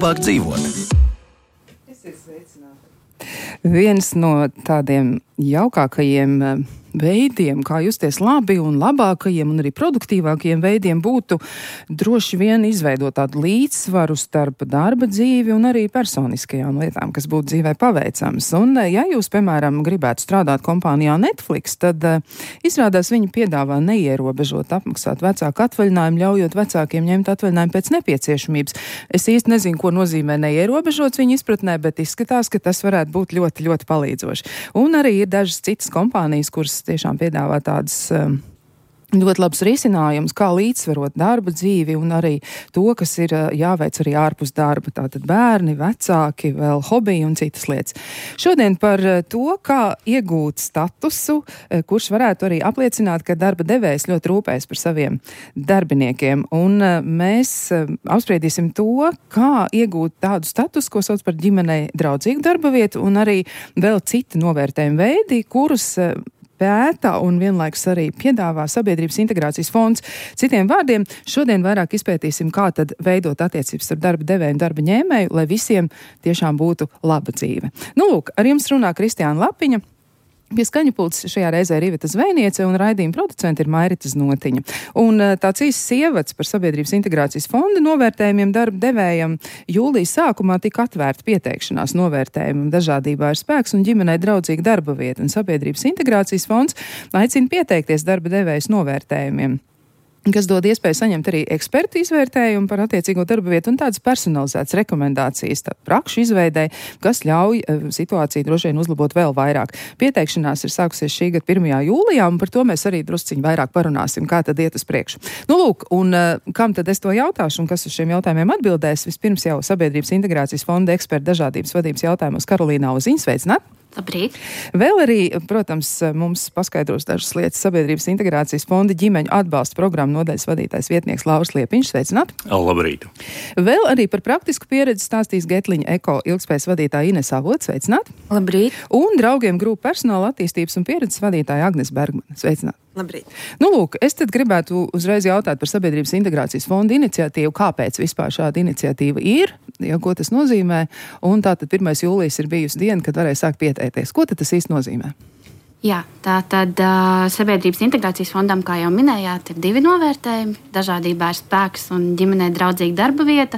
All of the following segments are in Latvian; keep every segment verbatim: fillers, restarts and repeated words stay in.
labāk dzīvot. Viens no tādiem jaukākajiem veidiem, kā justies labi un labākajiem un arī produktīvākajiem veidiem būtu droši vien izveidot tādu līdzsvaru starp darba dzīvi un arī personiskajām lietām, kas būtu dzīvē paveicams. Un, ja jūs, piemēram, gribētu strādāt kompānijā Netflix, tad uh, izrādās viņi piedāvā neierobežot apmaksāt vecāku atvaļinājumu, ļaujot vecākiem ņemt atvaļinājumu pēc nepieciešamības. Es īsti nezinu, ko nozīmē neierobežots viņa izpratnē, bet izskatās, ka tas varētu būt ļoti, ļoti palīdzoši. Un arī ir dažas citas kompānijas, kuras tiešām piedāvā tādas um, ļoti labs risinājums, kā līdzsvarot darba dzīvi un arī to, kas ir uh, jāveic arī ārpus darba. Tātad bērni, vecāki, vēl hobiji un citas lietas. Šodien par uh, to, kā iegūt statusu, uh, kurš varētu arī apliecināt, ka darba devējs ļoti rūpējas par saviem darbiniekiem. Un uh, mēs uh, apspriedīsim to, kā iegūt tādu statusu, ko sauc par ģimenei draudzīgu darba vietu, un arī vēl citi novērtējumi veidi, kurus uh, pēta un vienlaikus arī piedāvā Sabiedrības integrācijas fonds. Citiem vārdiem, šodien vairāk izpētīsim, kā tad veidot attiecības ar darba devēju un darba ņēmēju, lai visiem tiešām būtu laba dzīve. Nu, lūk, ar jums runā Kristiāna Lapiņa. Pie skaņu pults šajā reizē ir Iveta Zvejniece un raidījuma producenti ir Mairita Znotiņa. Un tāds īsts ievads par Sabiedrības integrācijas fonda novērtējumiem darba devējam jūlijas sākumā tika atvērta pieteikšanās novērtējumam dažādībā ir spēks un ģimenei draudzīga darba vieta. Un Sabiedrības integrācijas fonds aicina pieteikties darba devējas novērtējumiem, kas dod iespēju saņemt arī ekspertu izvērtējumu par attiecīgo darba vietu un tādas personalizētas rekomendācijas, tā prakšu izveidē, kas ļauj uh, situāciju droši vien uzlabot vēl vairāk. Pieteikšanās ir sākusies šī gada pirmajā jūlijā, un par to mēs arī drusciņi vairāk parunāsim, kā tad iet uz priekšu. Nu, lūk, un uh, kam tad es to jautāšu un kas uz šiem jautājumiem atbildēs? Vispirms jau Sabiedrības integrācijas fonda eksperta dažādības vadības jautājumos Karolīna Auziņa. Sveicināt! Labrīt. Vēl arī, protams, mums paskaidros dažas lietas Sabiedrības integrācijas fonda ģimeņu atbalsta programmu nodaļas vadītājs vietnieks Lauris Liepiņš. Sveicināt! Labrīt! Vēl arī par praktisku pieredzi stāstīs Getliņa Eko ilgspējas vadītāja Ines Avots. Sveicināt! Labrīt! Un draugiem grupu personāla attīstības un pieredzes vadītāja Agnes Bergmane. Sveicināt! Labrīt! Nu, lūk, es tad gribētu uzreiz jautāt par Sabiedrības integrācijas fonda iniciatīvu. Kāpēc vispār šāda iniciatīva ir? Ja, ko tas nozīmē? Un tātad pirmais jūlijas ir bijusi diena, kad varēja sākt pieteikties. Ko tad tas īsti nozīmē? Jā, tā tad uh, Sabiedrības integrācijas fondam, kā jau minējāt, ir divi novērtējumi. Dažādībā ir spēks un ģimenei draudzīga darba vieta.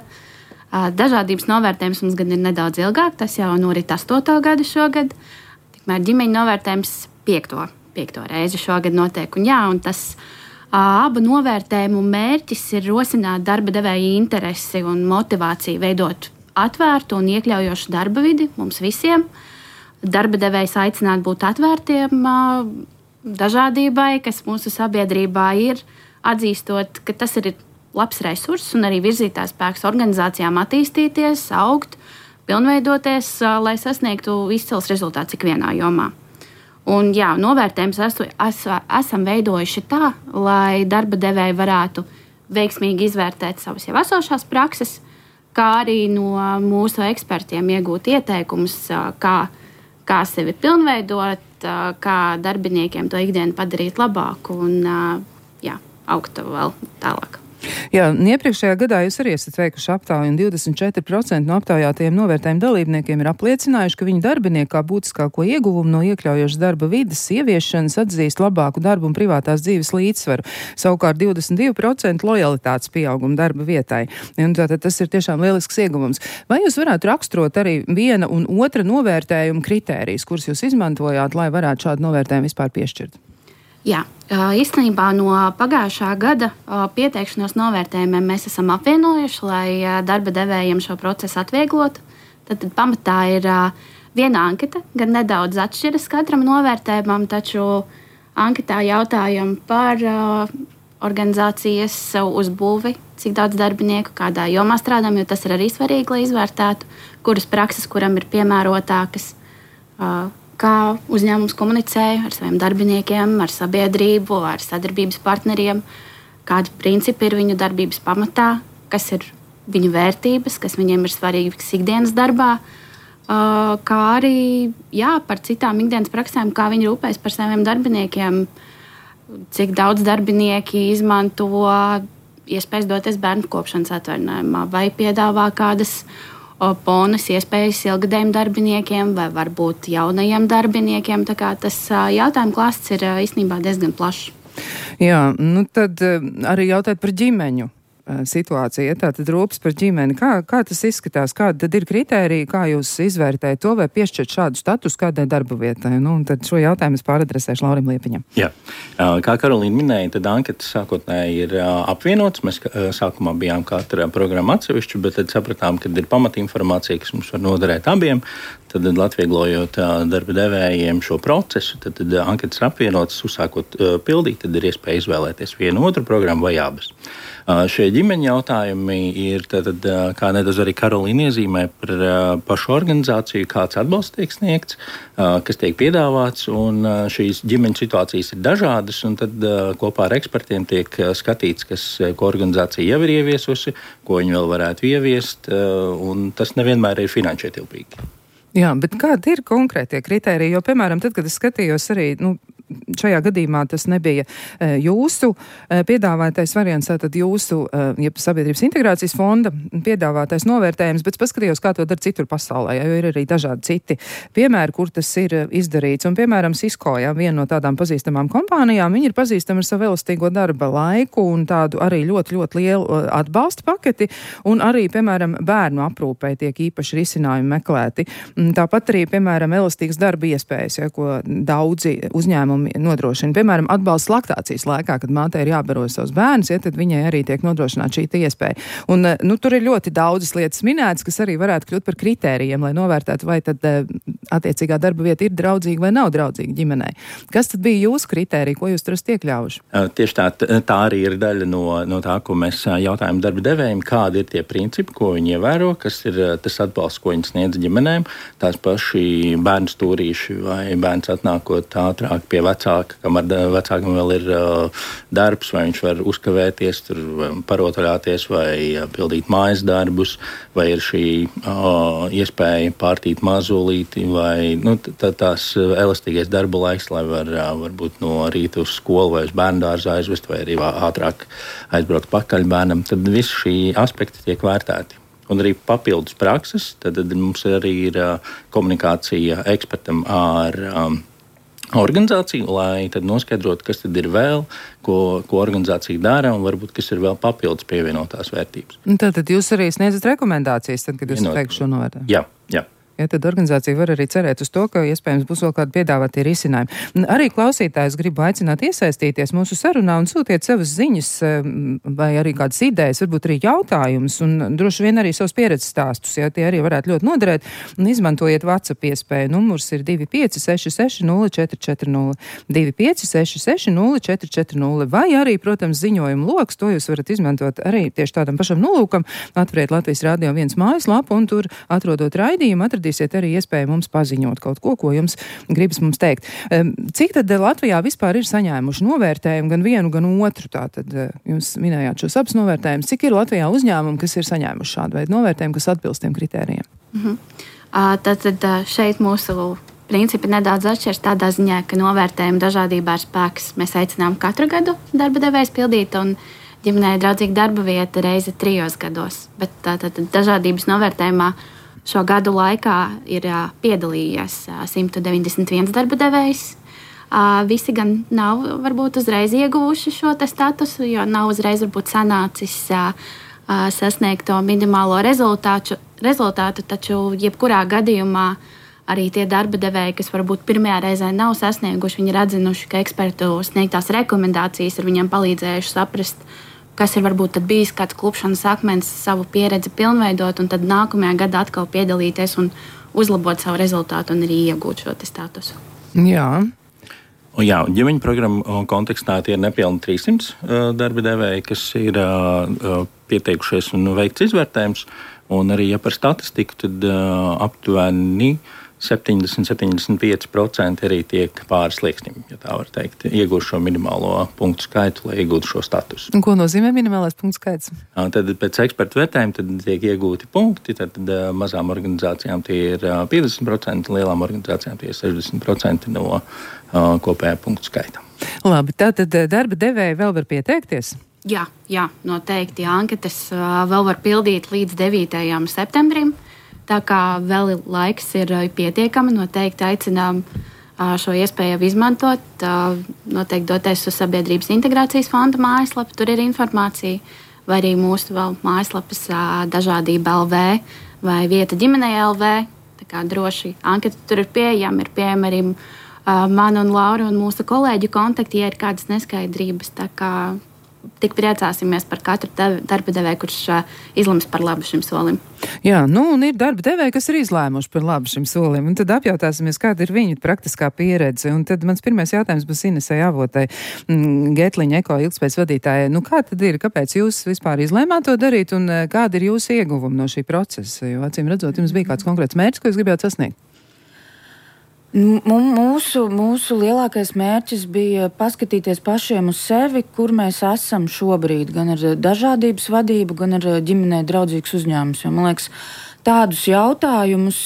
Uh, dažādības novērtējums mums gan ir nedaudz ilgāk, tas jau norit astoto gadu šogad. Tikmēr ģimeņu novērtējums piekto, piekto reizi šogad notiek. Un jā, un tas uh, abu novērtējumu mērķis ir rosināt darba devēja interesi un motivāciju veidot atvērtu un iekļaujošu darba vidi mums visiem. Darba devējs aicināt būt atvērtiem dažādībai, kas mūsu sabiedrībā ir, atzīstot, ka tas ir labs resurss un arī virzītājs spēks organizācijām attīstīties, augt, pilnveidoties, lai sasniegtu izcils rezultāts ikvienā jomā. Un, jā, novērtējums esu, es, esam veidojuši tā, lai darba devēji varētu veiksmīgi izvērtēt savas jau esošās prakses, kā arī no mūsu ekspertiem iegūt ieteikumus, kā kā sevi pilnveidot, kā darbiniekiem to ikdienu padarīt labāku un jā, augt vēl tālāk. Jā, iepriekšējā gadā jūs arī esat veikuši aptauju, un divdesmit četri procenti no aptaujātajiem novērtējumu dalībniekiem ir apliecinājuši, ka viņu darbinieki kā būtiskāko ieguvumu no iekļaujošas darba vides ieviešanas atzīst labāku darbu un privātās dzīves līdzsvaru. Savukārt divdesmit divi procenti lojalitātes pieaugumu darba vietai. Un tātad tas ir tiešām lielisks ieguvums. Vai jūs varētu raksturot arī viena un otra novērtējuma kritērijas, kurus jūs izmantojāt, lai varētu šādu novērtējumu vispār piešķirt? Jā, īstenībā no pagājušā gada pieteikšanos novērtējumiem mēs esam apvienojuši, lai darba devējiem šo procesu atvieglotu. Tad, tad pamatā ir viena anketa, gan nedaudz atšķiras katram novērtējumam, taču anketā jautājam par organizācijas uzbūvi, cik daudz darbinieku, kādā jomā strādājam, jo tas ir arī svarīgi, lai izvērtētu, kuras prakses, kuram ir piemērotākas, kā uzņēmums komunicē ar saviem darbiniekiem, ar sabiedrību, ar sadarbības partneriem, kādi principi ir viņu darbības pamatā, kas ir viņu vērtības, kas viņiem ir svarīgas ikdienas darbā, kā arī jā, par citām ikdienas praksēm, kā viņi rūpējas par saviem darbiniekiem, cik daudz darbinieki izmanto iespējas doties bērnu kopšanas atvaļinājumā vai piedāvā kādas bonus iespējas ilgadējiem darbiniekiem vai varbūt jaunajiem darbiniekiem. Tā kā tas jautājumu klāsts ir īstenībā diezgan plašs. Jā, nu tad arī jautāt par ģimeņu situācija, tātad rūpes par ģimeni. Kā, kā tas izskatās? Kāda tad ir kritērija, kā jūs izvērtējat to vai piešķirt šādu statusu kādai darba vietai? Nu, un tad šo jautājumu es pāradresēšu Laurim Liepiņam. Jā. Kā Karolīna minēja, tad anketas sākotnēji ir apvienotas. Mēs sākumā bijām katra programma atsevišķi, bet tad sapratām, ka ir pamatinformācija, kas mums var noderēt abiem. Tad atvieglojot darba devējiem šo procesu, tad, tad anketas apvienotas, uzsākot uh, pildīt, tad ir iespēja izvēlēties vienu otru programmu vai abas. Uh, šie ģimeņa jautājumi ir, tad, uh, kā nedaudz arī Karolīna iezīmē, par uh, pašu organizāciju, kāds atbalsts tiek sniegts, uh, kas tiek piedāvāts, un uh, šīs ģimeņa situācijas ir dažādas, un tad uh, kopā ar ekspertiem tiek uh, skatīts, kas, ko organizācija jau ir ieviesusi, ko viņi vēl varētu ieviest, uh, un tas nevienmēr ir finanšu ietilpīgi. Jā, bet kādi ir konkrētie kritēriji? Jo, piemēram, tad, kad es skatījos arī, nu, šajā gadījumā tas nebija e, jūsu e, piedāvātais variants, tātad jūsu e, ja Sabiedrības integrācijas fonda piedāvātais novērtējums, bet paskatījos, kā to dara citur pasaulē, jo ir arī dažādi citi piemēri, kur tas ir izdarīts. Un, piemēram, Cisco, jā, viena no tādām pazīstamām kompānijām, viņi ir pazīstami ar savu elastīgo darba laiku un tādu arī ļoti, ļoti lielu atbalsta paketi, un arī, piemēram, bērnu aprūpē tiek īpaši risinājumi meklēti. Tāpat arī, piemēram, elastīgas darba iespējas, ja, ko daudzi uzņēmumi nodrošina. Piemēram, atbalsts laktācijas laikā, kad mātei ir jābaro savus bērnus, ja, tad viņai arī tiek nodrošināta šī iespēja. Un, nu, tur ir ļoti daudzas lietas minētas, kas arī varētu kļūt par kritērijiem, lai novērtētu, vai tad attiecīgā darba vieta ir draudzīga vai nav draudzīga ģimenei. Kas tad bija jūsu kritērija, ko jūs tur esat iekļāvuši? Tieši tā, tā arī ir daļa no, no tā, ko mēs jautājam darba devējiem, kādi ir tie principi, ko viņi ievēro, kas ir tas atbalsts, ko viņi sniedz ģimenēm, tās paši bērnu stūrīši vai bērns atnākot ātrāk pie vecāka, kamēr vecākam vēl ir uh, darbs, vai viņš var uzkavēties, tur parotaļāties vai uh, pildīt mājas darbus, vai ir šī uh, iespēja pārtīt mazulīti, vai nu, tā, tās elastīgais darba laiks, lai var uh, varbūt no rīta uz skolu vai uz bērndārzu aizvest, vai arī ātrāk aizbraukt pakaļ bērnam. Tad visi šī aspekti tiek vērtēti. Un arī papildus prakses, tad, tad mums arī ir uh, komunikācija ekspertam ar um, organizāciju, lai tad noskaidrotu, kas tad ir vēl, ko, ko organizācija dara, un varbūt kas ir vēl papildus pievienotās vērtības. Tātad jūs arī sniedzat rekomendācijas, tad, kad jūs teiktu šo novērtējumu? Jā, jā. Ja, tad organizācija var arī cerēt uz to, ka iespējams būs vēl kādi piedāvātie risinājumi. Arī klausītājus gribu aicināt iesaistīties mūsu sarunā un sūtiet savas ziņas vai arī kādas idejas, varbūt arī jautājumus un droši vien arī savus pieredzes stāstus, ja tie arī varētu ļoti noderēt. Un izmantojiet WhatsApp iespēju. Numurs ir divi pieci seši seši nulle četri četri nulle, divi pieci seši seši nulle četri četri nulle, vai arī, protams, ziņojumu loks, to jūs varat izmantot arī tieši tādam pašam nolūkam. Atveriet Latvijas Radio viens mājaslapu un tur atrodot raidījumu, atradīsiet arī iespēju mums paziņot kaut ko, ko jums gribas mums teikt. Cik tad Latvijā vispār ir saņēmuši novērtējumu gan vienu, gan otru? Tātad jūs minējāt šos abus novērtējumus. Cik ir Latvijā uzņēmumi, kas ir saņēmuši šādu veidu novērtējumu, kas atbilst tiem kritērijiem? Mhm. Tātad šeit mūsu principi nedaudz atšķiras tādā ziņā, ka novērtējumu dažādībā ir spēks. Mēs aicinām katru gadu darba devējs pildīt un ģimenei draudzīga darba vieta reizi trijos gados. Bet tātad dažādības novērtējumā šo gadu laikā ir piedalījies simt deviņdesmit viens darba devējs. Visi gan nav varbūt uzreiz ieguvuši šo te statusu, jo nav uzreiz varbūt sanācis sasniegt to minimālo rezultātu, rezultātu, taču jebkurā gadījumā arī tie darba devēji, kas varbūt pirmajā reizē nav sasnieguši, viņi ir atzinuši, ka ekspertu sniegtās rekomendācijas ir viņiem palīdzējuši saprast, kas ir varbūt bijis kāds klupšanas akmens, savu pieredzi pilnveidot, un tad nākamajā gadā atkal piedalīties un uzlabot savu rezultātu un arī iegūt šo statusu. Jā. Jā, ģimeņu programmu kontekstā tie ir nepilni trīssimts uh, darba devēji, kas ir uh, pieteikušies un veikts izvērtējums. Un arī, ja par statistiku, tad uh, aptuveni septiņdesmit līdz septiņdesmit pieci procenti arī tiek pāri slieksnim, ja tā var teikt, iegūst šo minimālo punktu skaitu, lai iegūtu šo statusu. Un ko nozīmē minimālais punktu skaits? Tad pēc ekspertu vērtējuma tad tiek iegūti punkti, tad, tad mazām organizācijām tie ir piecdesmit procenti, lielām organizācijām tie ir sešdesmit procenti no uh, kopējā punktu skaita. Labi, tātad darba devēji vēl var pieteikties? Jā, jā, noteikti. Anketas uh, vēl var pildīt līdz devītajam septembrim. Tā kā vēl laiks ir pietiekami, noteikti aicinām šo iespēju izmantot, noteikti doties uz Sabiedrības integrācijas fonda mājaslapu, tur ir informācija, vai arī mūsu vēl mājaslapas dažādība L V vai vieta ģimenei L V. Tā kā droši anketa tur ir pieejama, ir pieejama arī man un Laura un mūsu kolēģu kontakti, ja ir kādas neskaidrības. Tā kā tik priecāsimies par katru darba devēju, kurš izlems par labu šim solim. Jā, nu un ir darba devēji, kas ir izlēmuši par labu šim solim, un tad apjautāsimies, kāda ir viņu praktiskā pieredze. Un tad mans pirmais jautājums būs Inesei Avotai, Getliņa Eko ilgtspējas vadītājai. Nu kā tad ir, kāpēc jūs vispār izlēmāt to darīt, un kāda ir jūsu ieguvumi no šī procesa? Jo acīm redzot, jums bija kāds konkrēts mērķis, ko jūs gribējāt sasniegt? Mūsu, mūsu lielākais mērķis bija paskatīties pašiem uz sevi, kur mēs esam šobrīd, gan ar dažādības vadību, gan ar ģimenei draudzīgus uzņēmumus. Jo, man liekas, tādus jautājumus,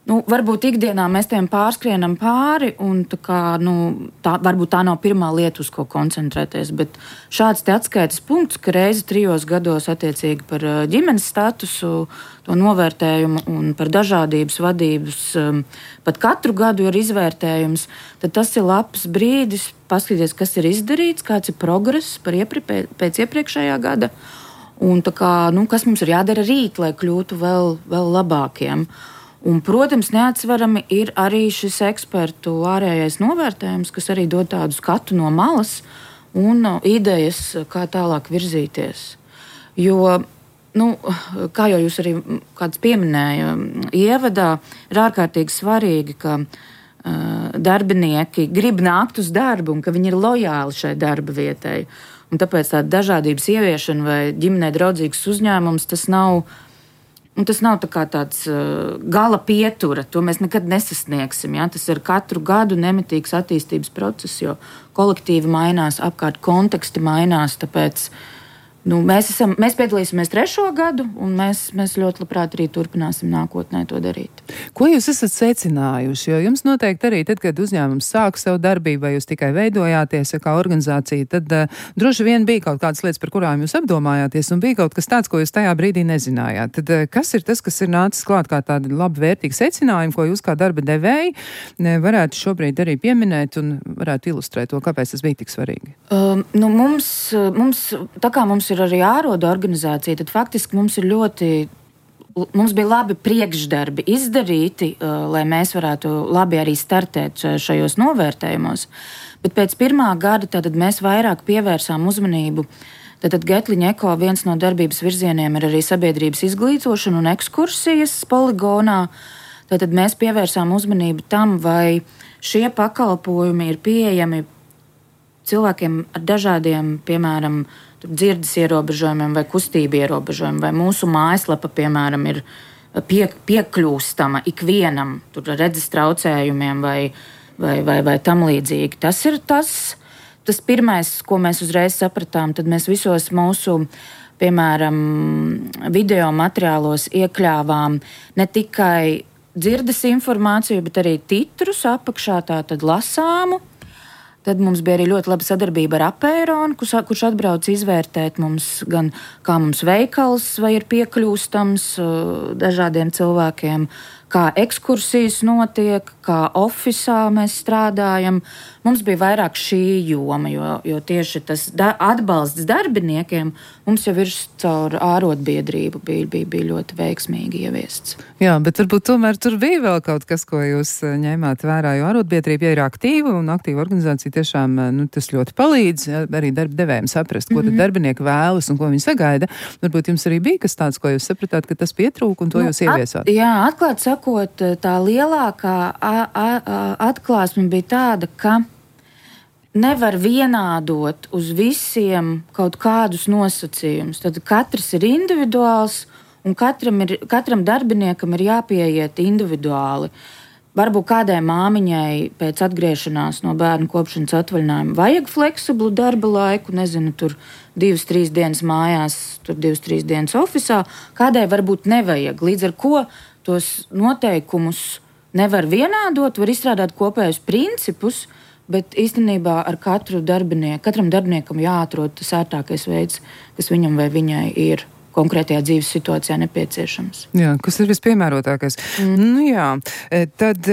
nu, varbūt ikdienā mēs tiem pārskrienam pāri, un tā kā, nu, tā, varbūt tā nav pirmā lieta, uz ko koncentrēties, bet šāds te atskaites punkts, ka reizi trijos gados attiecīgi par ģimenes statusu, to novērtējumu un par dažādības vadības, pat katru gadu ir izvērtējums, tad tas ir labs brīdis paskatīties, kas ir izdarīts, kāds ir progress par iepri, pēc iepriekšējā gada, un tā kā, nu, kas mums ir jādara rīt, lai kļūtu vēl, vēl labākiem. Un, protams, neatsverami ir arī šis ekspertu ārējais novērtējums, kas arī dod tādu skatu no malas un idejas, kā tālāk virzīties. Jo, nu, kā jau jūs arī kāds pieminēja ievadā, ir ārkārtīgi svarīgi, ka uh, darbinieki grib nākt uz darbu un ka viņi ir lojāli šai darba vietai. Un tāpēc tāda dažādības ieviešana vai ģimenei draudzīgs uzņēmums, tas nav Un tas nav tā kā tāds uh, gala pietura, to mēs nekad nesasniegsim. Ja? Tas ir katru gadu nemitīgs attīstības process, jo kolektīvi mainās, apkārt konteksti mainās, tāpēc nu, mēs, esam, mēs piedalīsimies trešo gadu, un mēs, mēs ļoti labprāt arī turpināsim nākotnē to darīt. Ko jūs esat secinājuši? Jo jums noteikti arī tad, kad uzņēmums sāk savu darbību, vai jūs tikai veidojāties ja kā organizācija, tad uh, droši vien bija kaut kādas lietas, par kurām jūs apdomājāties, un bija kaut kas tāds, ko jūs tajā brīdī nezinājāt. Tad uh, kas ir tas, kas ir nācis klāt kā tādi labi vērtīgi secinājumi, ko jūs kā darba devēji varētu šobrīd arī pieminēt un varētu ilustrēt to, kāpēc tas bija tik svarīgi? Um, nu mums, mums, tā kā mums ir arī āroda organizācija, tad faktiski mums ir ļoti, mums bija labi priekšdarbi izdarīti, uh, lai mēs varētu labi arī startēt šajos novērtējumos. Bet pēc pirmā gada tātad mēs vairāk pievērsām uzmanību. Tātad Getliņa Eko viens no darbības virzieniem ir arī sabiedrības izglītošana un ekskursijas poligonā. Tātad mēs pievērsām uzmanību tam, vai šie pakalpojumi ir pieejami cilvēkiem ar dažādiem, piemēram, dzirdes ierobežojumiem vai kustību ierobežojumiem, vai mūsu mājaslapa, piemēram, ir pie, piekļūstama ikvienam tur redzes traucējumiem vai, vai, vai, vai tam līdzīgi. Tas ir tas, tas pirmais, ko mēs uzreiz sapratām, tad mēs visos mūsu, piemēram, video materiālos iekļāvām ne tikai dzirdes informāciju, bet arī titrus apakšā, tātad lasāmu. Tad mums bija arī ļoti laba sadarbība ar Apeironu, kurš, kurš atbrauc izvērtēt mums gan kā mums veikals vai ir piekļūstams dažādiem cilvēkiem, kā ekskursijas notiek, kā ofisā mēs strādājam. Mums bija vairāk šī joma, jo, jo tieši tas da- atbalsts darbiniekiem mums jau ir caur ārotbiedrību bija, bija, bija ļoti veiksmīgi ieviests. Jā, bet varbūt tomēr tur bija vēl kaut kas, ko jūs ņēmāt vērā, jo ārotbiedrība ja ir aktīva un aktīva organizācija tiešām nu, tas ļoti palīdz ja, arī darba devējiem saprast, ko mm-hmm. tad darbinieki vēlas un ko viņi sagaida. Varbūt jums arī bija kas tāds, ko jūs sapratāt, ka tas pietrūk un to nu, jūs ieviesāt. At, jā, atklāt sakot, tā lielākā a, a, a, atklāsme bija tāda, ka nevar vienādot uz visiem kaut kādus nosacījumus. Tad katrs ir individuāls un katram, ir, katram darbiniekam ir jāpieiet individuāli. Varbūt kādai māmiņai pēc atgriešanās no bērnu kopšanas atvaļinājuma vajag fleksiblu darba laiku, nezinu, tur divas, trīs dienas mājās, tur divas, trīs dienas ofisā, kādai varbūt nevajag. Līdz ar ko tos noteikumus nevar vienādot, var izstrādāt kopējus principus, bet īstenībā ar katru darbinieku, katram darbiniekam jāatrod tas ērtākais veids, kas viņam vai viņai ir konkrētajā dzīves situācijā nepieciešams. Jā, kas ir vispiemērotākais. Mm. Nu jā, tad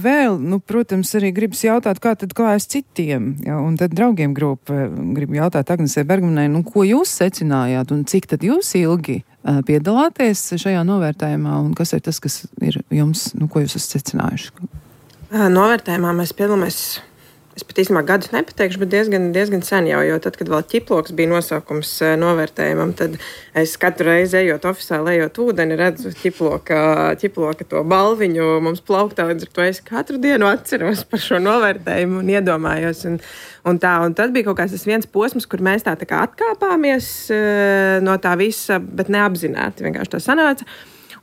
vēl, nu, protams, arī gribas jautāt, kā tad klājas citiem, jā, un tad draugiem grupa grib jautāt Agnesei Bergmanai, nu, ko jūs secinājāt un cik tad jūs ilgi uh, piedalāties šajā novērtējumā un kas ir tas, kas ir jums, nu, ko jūs esat secinājuši? Novērtējumā mēs piedalāmies. Es pat īstenībā gadus nepateikšu, bet diezgan, diezgan sen jau, jo tad, kad vēl ķiploks bija nosaukums novērtējumam, tad es katru reizi ejot oficiāli, ejot ūdeni, redzu ķiploka, ķiploka to balviņu mums plauktā, līdz ar to es katru dienu atceros par šo novērtējumu un iedomājos. Un, un, tā, un tad bija kaut kāds tas viens posms, kur mēs tā, tā kā atkāpāmies no tā visa, bet neapzināti vienkārši tā sanāca.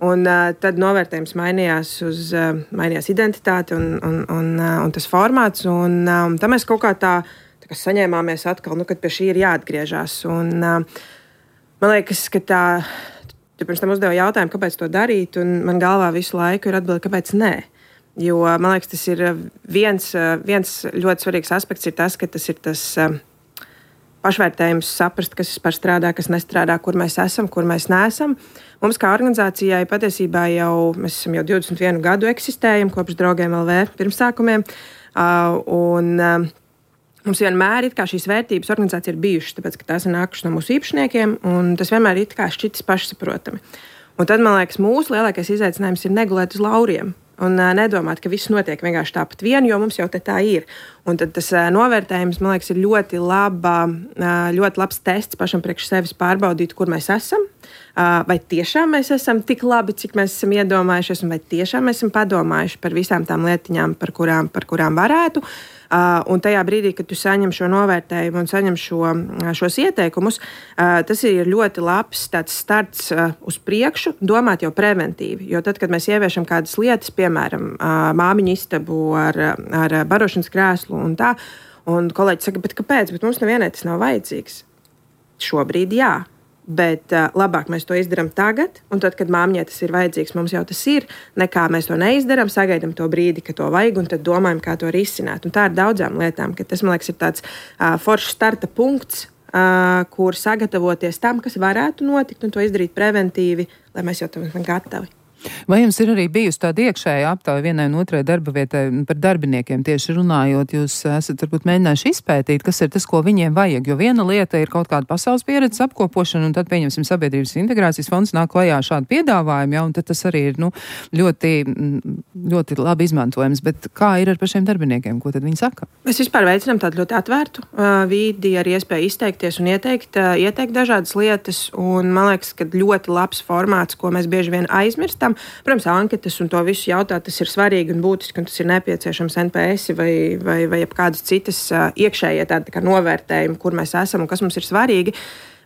Un uh, tad novērtējums mainījās uz uh, mainījās identitāti un, un, un, uh, un tas formāts. Un, uh, un tam mēs kaut kā tā, tā kā saņēmāmies atkal, nu, kad pie šī ir jāatgriežas. Un, uh, man liekas, ka tā, tu pirms tam uzdeva jautājumu, kāpēc to darīt, un man galvā visu laiku ir atbilde, kāpēc nē. Jo man liekas, tas ir viens, viens ļoti svarīgs aspekts, ir tas, ka tas ir tas uh, pašvērtējums, saprast, kas vispār strādā, kas nestrādā, kur mēs esam, kur mēs neesam. Mums kā organizācijai patiesībā jau, mēs esam jau divdesmit vienu gadu eksistējam kopš Draugiem L V pirmsākumiem, uh, un uh, mums vienmēr it kā šīs vērtības organizācija ir bijušas, tāpēc, ka tās ir nākušas no mūsu īpašniekiem, un tas vienmēr ir it kā šķitis pašsaprotami. Un tad, man liekas, mūsu lielākais izaicinājums ir negulēt uz lauriem. Un uh, nedomāt, ka viss notiek vienkārši tāpat vien, jo mums jau te tā ir. Un tad tas uh, novērtējums, man liekas, ir ļoti, laba, uh, ļoti labs tests pašam priekš sevis pārbaudīt, kur mēs esam. Uh, vai tiešām mēs esam tik labi, cik mēs esam iedomājušies, un vai tiešām mēs esam padomājuši par visām tām lietiņām, par kurām, par kurām varētu. Uh, un tajā brīdī, kad tu saņem šo novērtējumu un saņem šo, šos ieteikumus, uh, tas ir ļoti labs tāds starts uh, uz priekšu, domāt jau preventīvi. Jo tad, kad mēs ieviešam kādas lietas, piemēram, uh, māmiņu istabu ar, ar barošanas krēslu un tā, un kolēģi saka, bet kāpēc? Bet mums nevienai tas nav vajadzīgs. Šobrīd jā. Bet uh, labāk mēs to izdarām tagad, un tad, kad māmiņai tas ir vajadzīgs, mums jau tas ir, nekā mēs to neizdarām, sagaidām to brīdi, ka to vajag, un tad domājam, kā to risināt. Un tā ir daudzām lietām, ka tas, man liekas, ir tāds uh, foršs starta punkts, uh, kur sagatavoties tam, kas varētu notikt, un to izdarīt preventīvi, lai mēs jau tam esam gatavi. Vai jums ir arī bijusi tāda iekšēja aptauja vienai un otrai darba vietai par darbiniekiem tieši runājot? Jūs esat varbūt mēģinājuši izpētīt, kas ir tas, ko viņiem vajag, jo viena lieta ir kaut kāda pasaules pieredzes apkopošana, un tad, pieņemsim, Sabiedrības integrācijas fonds nāk klajā šādu piedāvājumu, ja, un tad tas arī ir, nu, ļoti, ļoti labi izmantojams. Bet kā ir ar pašiem darbiniekiem? Ko tad viņi saka? Mēs vispār veicinām tādu ļoti atvērtu uh, vidi ar iespēju izteikties un ieteikt, uh, ieteikt dažādas lietas, un man liekas, ka ļoti labs formāts, ko mēs bieži vien aizmirstam. Protams, anketas un to visu jautāt, tas ir svarīgi un būtiski, un tas ir nepieciešams N P S vai, vai, vai kādas citas uh, iekšējie tādi tā kā novērtējumi, kur mēs esam un kas mums ir svarīgi.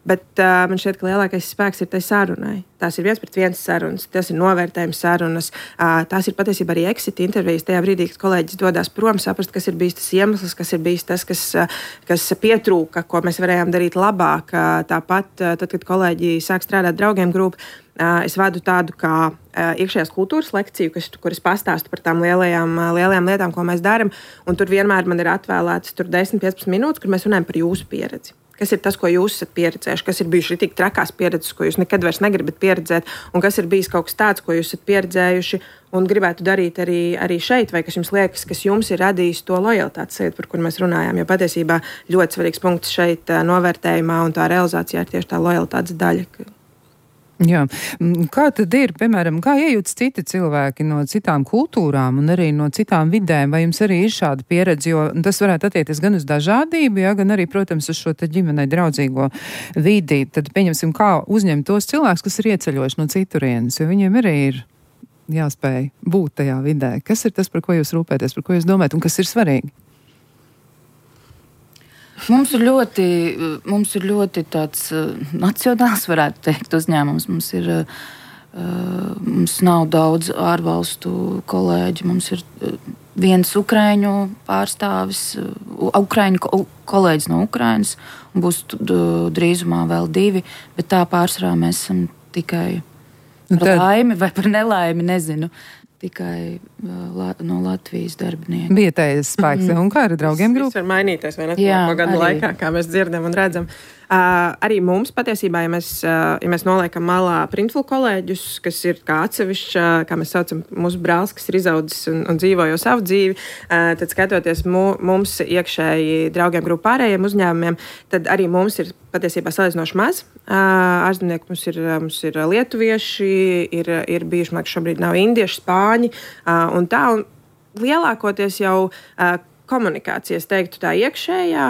Bet uh, man šķiet, ka lielākais spēks ir tai sarunai. Tās ir viens pret viens sarunas, tas ir novērtējums sarunas, uh, tās ir patiesībā arī exit intervijas. Tajā brīdī, kad kolēģis dodas prom, saprast, kas ir bijis tas iemesls, kas ir bijis tas, kas, uh, kas pietrūka, ko mēs varējām darīt labāk. Uh, tāpat, uh, tad, kad kolēģi sāk strādāt Draugiem grupu, uh, es vadu tādu kā uh, iekšējās kultūras lekciju, kas, kur es pastāstu par tām lielajām, uh, lielajām lietām, ko mēs darām. Un tur vienmēr man ir atvēlētas desmit līdz piecpadsmit minūtes, kur mēs runājam par jūsu pieredzi. Kas ir tas, ko jūs esat pieredzējuši, kas ir bijuši tik trakās pieredzes, ko jūs nekad vairs negribat pieredzēt, un kas ir bijis kaut kas tāds, ko jūs esat pieredzējuši un gribētu darīt arī, arī šeit, vai kas jums liekas, kas jums ir radījis to lojalitātes sajūtu, par kur mēs runājām. Jo patiesībā ļoti svarīgs punkts šeit novērtējumā un tā realizācijā ir tieši tā lojalitātes daļa. Jā. Kā tad ir, piemēram, kā iejūtas citi cilvēki no citām kultūrām un arī no citām vidēm? Vai jums arī ir šāda pieredze, jo tas varētu attiekties gan uz dažādību, ja, gan arī, protams, uz šo te ģimenei draudzīgo vidi? Tad pieņemsim, kā uzņemt tos cilvēkus, kas ir ieceļojuši no citurienes, jo viņiem arī ir jāspēj būt tajā vidē. Kas ir tas, par ko jūs rūpēties, par ko jūs domājat un kas ir svarīgi? Mums ir ļoti, mums ir ļoti tāds uh, nacionāls, varētu teikt, uzņēmums. Mums ir, uh, mums nav daudz ārvalstu kolēģi. Mums ir uh, viens ukraiņu pārstāvis, uh, ukraiņu ko, kolēģis no Ukrainas, un būs uh, drīzumā vēl divi, bet tā pārsvarā mēs esam tikai par Tad... laimi vai par nelaimi, nezinu. Tikai la, no Latvijas darbinieku. Vietējais spēks. Mm. Un kā ar Draugiem grupu? Tas var mainīties, vai ne? Jā, gadu arī. Laikā, kā mēs dzirdam un redzam. Uh, arī mums patiesībā, ja mēs, uh, ja mēs noliekam malā Printful kolēģus, kas ir kā atsevišķi, uh, kā mēs saucam, mūsu brālis, kas ir izaudzis un, un dzīvo jau savu dzīvi, uh, tad skatoties mu, mums iekšēji draugiem grupu pārējiem uzņēmumiem, tad arī mums ir patiesībā salīdzinoši maz. Ārzemnieki mums ir, mums ir lietuvieši, ir, ir bijuši, man liekas, šobrīd nav indieši, spāņi un tā. Un lielākoties jau komunikācijas, teiktu tā iekšējā,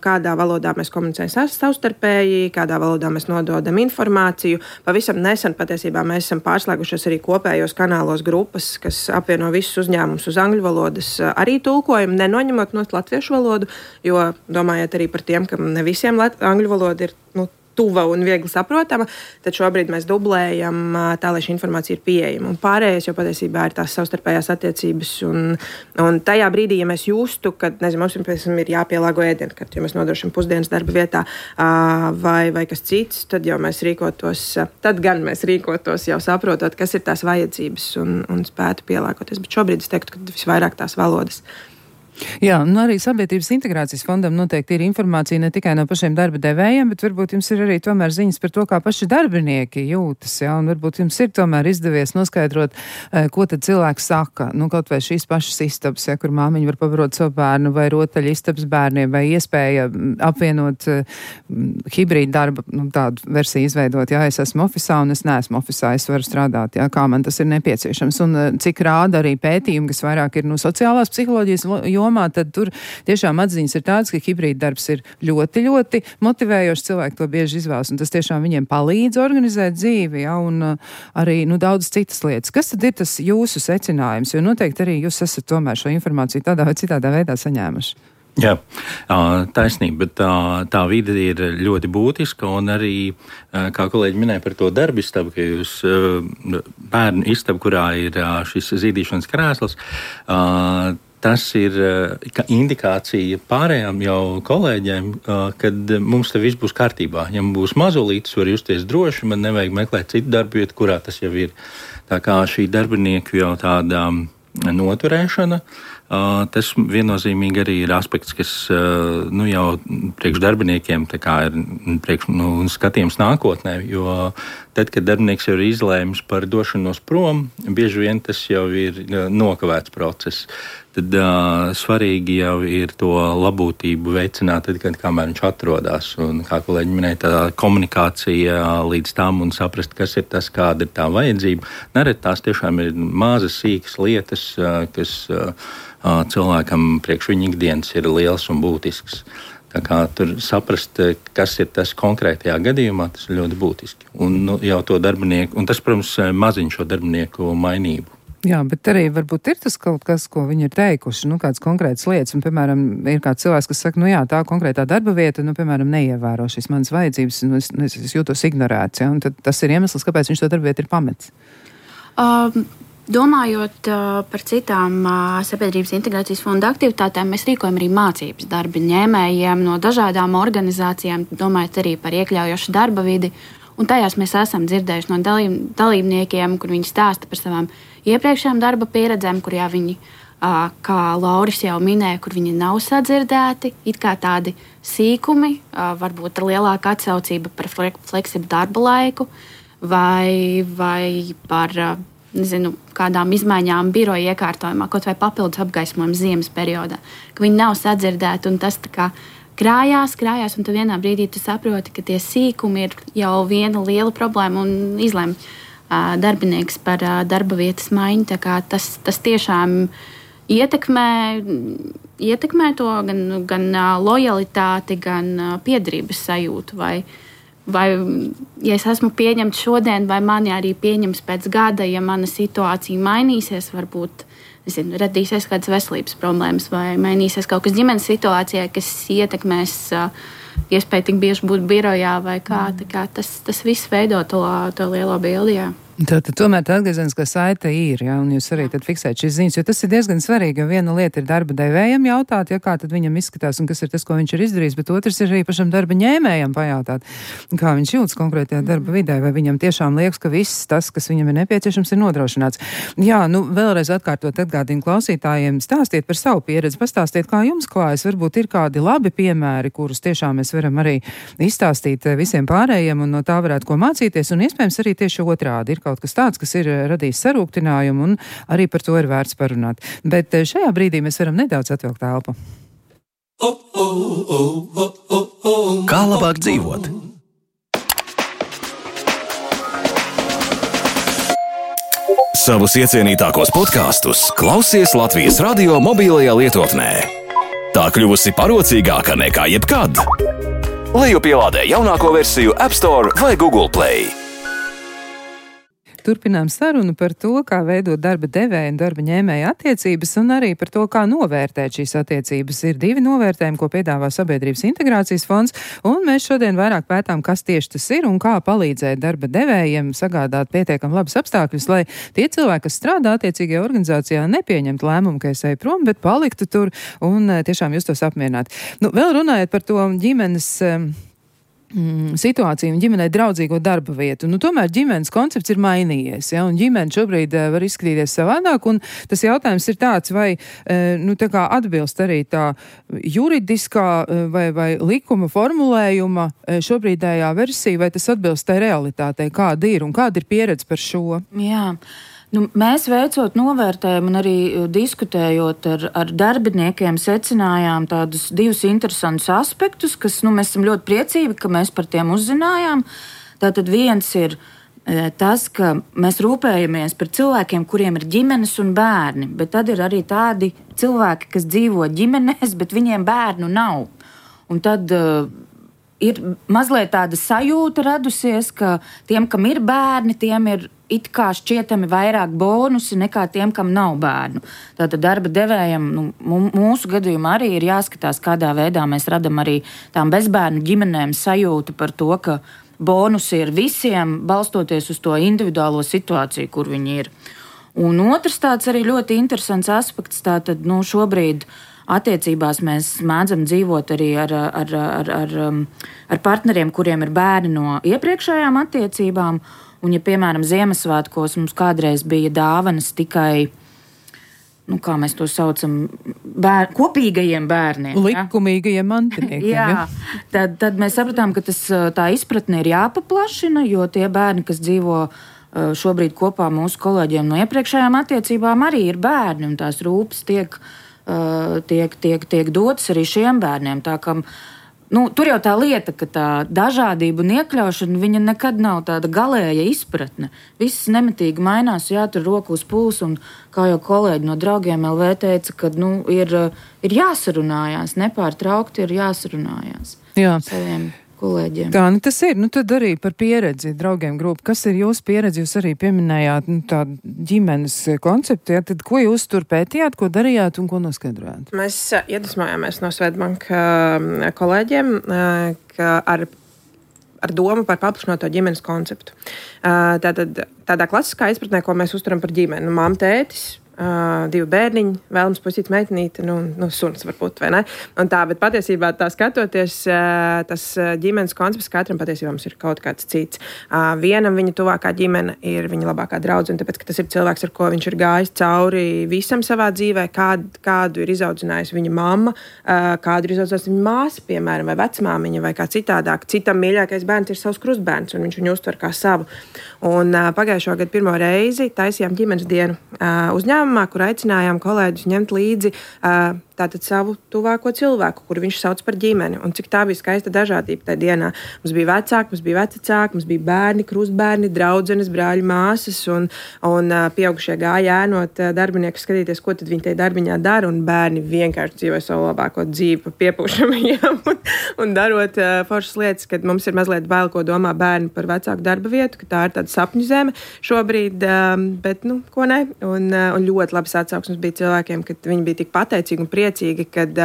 kādā valodā mēs komunicējam savstarpēji, kādā valodā mēs nododam informāciju. Pavisam nesen patiesībā mēs esam pārslēgušies arī kopējos kanālos grupas, kas apvieno visus uzņēmumus uz angļu valodas arī tulkojumu, nenoņemot no latviešu valodu, jo domājot arī par tiem, ka ne visiem angļu valoda ir, nu, tuva un viegli saprotama, tad šobrīd mēs dublējam tā, lai šī informācija ir pieejama. Un pārējais jau patiesībā ir tās savstarpējās attiecības. Un, un tajā brīdī, ja mēs justu, ka, nezinu, mums piemēram, ir jāpielāgo ēdienkarti, jo mēs nodrošinām pusdienas darba vietā vai, vai kas cits, tad jau mēs rīkotos, tad gan mēs rīkotos jau saprotot, kas ir tās vajadzības un, un spētu pielāgoties. Bet šobrīd es teiktu, ka visvairāk tās valodas. Jā, nu arī Sabiedrības integrācijas fondam noteikti ir informācija ne tikai no pašiem darba devējiem, bet varbūt jums ir arī tomēr ziņas par to, kā paši darbinieki jūtas, jā, un varbūt jums ir tomēr izdevies noskaidrot, ko tad cilvēks saka, nu kaut vai šīs pašas istabas, ja, kur māmiņa var pavarot savu bērnu, vai rotaļu istabas bērniem, vai iespēja apvienot uh, hibrīdu darba, nu tādu versiju izveidot, jā, es esmu ofisā un es neesmu ofisā, es varu strādāt, jā, kā man tas ir nepieciešams, un uh, cik rāda arī pētījumi, kas vairāk ir no sociālās psiholoģijas jomā, tad tur tiešām atziņas ir tādas, ka hibrīda darbs ir ļoti, ļoti motivējošs, cilvēki to bieži izvēlas, un tas tiešām viņiem palīdz organizēt dzīvi, ja, un uh, arī, nu, daudz citas lietas. Kas tad ir tas jūsu secinājums? Jo noteikti arī jūs esat tomēr šo informāciju tādā vai citādā veidā saņēmuši. Jā, taisnība, bet tā, tā vide ir ļoti būtiska, un arī, kā kolēģi minēja par to darbu istabu, ka jūs bērnu istabu, kurā ir šis zīdīšanas krēsls, tas ir indikācija pārējām jau kolēģiem, kad mums te viss būs kārtībā. Ja man būs mazulītis, var justies droši, man nevajag meklēt citu darbu vietu, kurā tas jau ir. Tā kā šī darbinieku jau tāda noturēšana, tas viennozīmīgi arī ir aspekts, kas nu, jau priekš darbiniekiem tā kā ir priekš, nu, skatījums nākotnē, jo tad, kad darbinieks jau ir izlēmis par došanos prom, bieži vien tas jau ir nokavēts process. Tad uh, svarīgi jau ir to labūtību veicināt, tad, kad kamēr viņš atrodas. Un, kā kolēģi minēja, tā komunikācija līdz tam un saprast, kas ir tas, kāda ir tā vajadzība. Nereti tās tiešām ir mazas, sīkas lietas, uh, kas uh, cilvēkam priekš viņa ikdienas ir liels un būtisks. Tā kā tur saprast, kas ir tas konkrētajā gadījumā, tas ir ļoti būtiski. Un nu, jau to darbinieku, un tas, protams, maziņ šo darbinieku mainību. Jā, bet arī varbūt ir tas kaut kas, ko viņi ir teikuši, nu, kāds konkrēts lietas, un, piemēram, ir kāds cilvēks, kas saka, nu jā, tā konkrētā darba vieta, nu, piemēram, neievēro šīs manas vajadzības, un es, es, es jūtos ignorēts, ja, un tad tas ir iemesls, kāpēc viņš to darba vietu ir pametis. Um. Domājot uh, par citām uh, Sabiedrības integrācijas fonda aktivitātēm, mēs rīkojam arī mācības darba ņēmējiem no dažādām organizācijām, domājot arī par iekļaujošu darba vidi. Un tajās mēs esam dzirdējuši no dalīb, dalībniekiem, kur viņi stāsta par savām iepriekšējām darba pieredzēm, kur jā, viņi, uh, kā Lauris jau minēja, kur viņi nav sadzirdēti, it kā tādi sīkumi, uh, varbūt ar lielāku atsaucību par fleksibu darba laiku vai, vai par uh, nezinu, kādām izmaiņām biroja iekārtojumā, kaut vai papildus apgaismojumu ziemas periodā, ka viņi nav sadzirdēti un tas tā kā krājās, krājās, un tu vienā brīdī tu saproti, ka tie sīkumi ir jau viena liela problēma un izlem uh, darbinieks par uh, darba vietas maiņu, tā kā tas, tas tiešām ietekmē, ietekmē to gan, gan uh, lojalitāti, gan uh, piederības sajūtu, vai Vai, ja es esmu pieņemts šodien, vai mani arī pieņems pēc gada, ja mana situācija mainīsies, varbūt nezinu, radīsies kādas veselības problēmas, vai mainīsies kaut kas ģimenes situācijā, kas ietekmēs uh, iespēju tik bieži būt birojā vai kā. Tā kā tas, tas viss veido to, to lielo bildi. Jā. Tātad tomēr tā atgriezeniskā saite ir, ja, un jūs arī tad fiksējat šīs ziņas, jo tas ir diezgan svarīgi, jo viena lieta ir darba devējam jautāt, ja kā tad viņam izskatās un kas ir tas, ko viņš ir izdarījis, bet otrs ir arī pašam darba ņēmējam pajautāt, kā viņš jūtas konkrētajā darba vidē, vai viņam tiešām liekas, ka viss tas, kas viņam ir nepieciešams, ir nodrošināts. Jā, nu vēlreiz atkārtot atgādījumu klausītājiem, stāstiet par savu pieredzi, pastāstiet, kā jums klājas, varbūt ir kādi labi piemēri, kurus tiešām mēs varam arī izstāstīt visiem pārējiem un no tā varētu ko mācīties, un iespējams arī tieši otrādi. Ir kaut kas tāds, kas ir radījis sarūktinājumu, un arī par to ir vērts parunāt. Bet šajā brīdī mēs varam nedaudz atvilkt telpu. Kā labāk dzīvot? Savus iecienītākos podkastus klausies Latvijas radio mobilajā lietotnē. Tā kļuvusi parocīgāka nekā jebkad. Lejupielādē jaunāko versiju App Store vai Google Play. Turpinām sarunu par to, kā veidot darba devēja un darba ņēmēja attiecības, un arī par to, kā novērtēt šīs attiecības. Ir divi novērtējumi, ko piedāvā Sabiedrības integrācijas fonds, un mēs šodien vairāk pētām, kas tieši tas ir un kā palīdzēt darba devējiem sagādāt pietiekam labus apstākļus, lai tie cilvēki, kas strādā attiecīgajā organizācijā, nepieņemtu lēmumu, ka es eju prom, bet paliktu tur un tiešām justos apmierināti. Nu, vēl runājot par to ģimenes situāciju un ģimenei draudzīgo darba vietu. Nu, tomēr ģimenes koncepts ir mainījies, ja, un ģimene šobrīd uh, var izskatīties savādāk, un tas jautājums ir tāds, vai uh, nu, tā kā atbilst arī tā juridiskā uh, vai, vai likuma formulējuma uh, šobrīdējā versija, vai tas atbilst tai realitātei, kāda ir un kāda ir pieredze par šo? Jā. Nu, mēs veicot novērtējumu un arī diskutējot ar, ar darbiniekiem, secinājām tādus divus interesantus aspektus, kas nu, mēs esam ļoti priecīgi, ka mēs par tiem uzzinājām. Tātad viens ir e, tas, ka mēs rūpējamies par cilvēkiem, kuriem ir ģimenes un bērni, bet tad ir arī tādi cilvēki, kas dzīvo ģimenēs, bet viņiem bērnu nav. Un tad e, ir mazliet tāda sajūta radusies, ka tiem, kam ir bērni, tiem ir it kā šķietami vairāk bonusi nekā tiem, kam nav bērnu. Tātad darba devējam, nu, mūsu gadījumā arī ir jāskatās, kādā veidā mēs radam arī tām bezbērnu ģimenēm sajūtu par to, ka bonusi ir visiem, balstoties uz to individuālo situāciju, kur viņi ir. Un otrs tāds arī ļoti interesants aspekts, tātad, nu, šobrīd attiecībās mēs mēdzam dzīvot arī ar, ar, ar, ar, ar partneriem, kuriem ir bērni no iepriekšējām attiecībām. Un, ja, piemēram, Ziemassvētkos mums kādreiz bija dāvanas tikai, nu, kā mēs to saucam, bēr, kopīgajiem bērniem. Likumīgajiem mantiniekiem. Jā, ja? tad, tad mēs sapratām, ka tas, tā izpratne ir jāpaplašina, jo tie bērni, kas dzīvo šobrīd kopā mūsu kolēģiem no iepriekšējām attiecībām, arī ir bērni, un tās rūpes tiek, tiek, tiek, tiek dotas arī šiem bērniem. Tā kā Nu, tur jau tā lieta, ka tā dažādība un iekļaušana, viņa nekad nav tāda galēja izpratne. Viss nemitīgi mainās, jātur roku uz pulsu, un kā jau kolēģi no Draugiem L V teica, ka nu, ir, ir jāsarunājās, nepārtraukti ir jāsarunājās. Jā. Saviem kolēģiem. Tā, nu tas ir, nu tad arī par pieredzi Draugiem grupu. Kas ir jūsu pieredze? Jūs arī pieminējāt nu, tādu ģimenes konceptu, ja? Tad ko jūs tur pētījāt, ko darījāt un ko noskaidrojāt? Mēs iedvesmojāmies no Swedbank kolēģiem, ka ar, ar domu par paplašināto ģimenes konceptu. Tātad tādā klasiskā izpratnē, ko mēs uzturam par ģimeni, nu, mamma, tētis, Uh, divi bērniņi, vēlams puisīts, meitenīte, nu, nu, suns varbūt, vai ne? Un tā, bet patiesībā tā skatoties, uh, tas ģimenes koncepts katram patiesībā mums ir kaut kāds cits. Uh, vienam viņa tuvākā ģimene ir viņa labākā draudzene, tāpēc, ka tas ir cilvēks, ar ko viņš ir gājis cauri visam savā dzīvē, kād, kādu ir izaudzinājusi viņa mamma, uh, kādu ir izaudzinājusi viņa māsa, piemēram, vai vecmāmiņa, vai kā citādāk. Citam mīļākais bērns ir savs krustbērns, un viņš viņu uztver kā savu. Un uh, pagājušo gadu pirmo reizi taisījām ģimenes dienu uh, uzņēmumā, kur aicinājām kolēģus ņemt līdzi uh, tātad savu tuvāko cilvēku, kuru viņš sauc par ģimeni. Un cik tā bija skaista dažādība tajā dienā. Mums bija vecāki, mums bija vecāki, mums bija bērni, krustbērni, draudzenes, brāļi, māsas, un, un uh, pieaugušie gāja ēnot uh, darbinieku skatīties, ko tad viņi tajā darbiņā dara, un bērni vienkārši dzīvoja savu labāko dzīvi pa piepūšamajiem un, un darot uh, foršas lietas, kad mums ir mazliet bail, ko domā bērni par vecāku darba vietu, ka tā ir tāda sapņu zeme šobrīd, um, bet, nu, ko ne? Un, uh, un ļoti labas atsauksmes bija cilvēkiem, kad viņi bija tik pateicīgi un priecīgi, kad,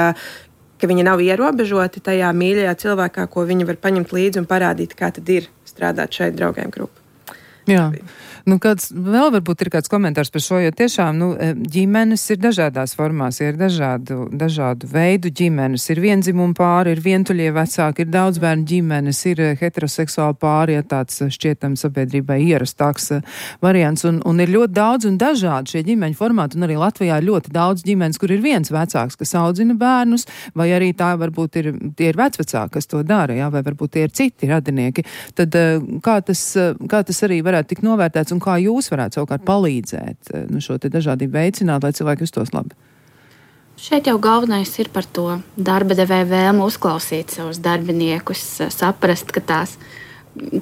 ka viņi nav ierobežoti tajā mīļajā cilvēkā, ko viņi var paņemt līdzi un parādīt, kā tad ir strādāt šeit Draugiem grupu. Jā. Nu, kāds, vēl varbūt ir kāds komentārs par šo, jo tiešām nu, ģimenes ir dažādās formās, ir dažādu, dažādu veidu ģimenes, ir vienzimuma pāri, ir vientuļie vecāki, ir daudz bērnu ģimenes, ir heteroseksuāli pāri, ja tāds šķietam sabiedrībai ierastāks variants, un, un ir ļoti daudz un dažādi šie ģimeņu formāti, un arī Latvijā ir ļoti daudz ģimenes, kur ir viens vecāks, kas audzina bērnus, vai arī tā varbūt ir, tie ir vecvecāki, kas to dara, jā, vai varbūt tie ir citi radinieki. Tad kā tas, kā tas arī varētu tik novērtēts, un kā jūs varētu savukārt palīdzēt nu, šo te dažādību veicināt, lai cilvēki justos labi? Šeit jau galvenais ir par to darba devēja vēlmu uzklausīt savus darbiniekus, saprast, ka tās,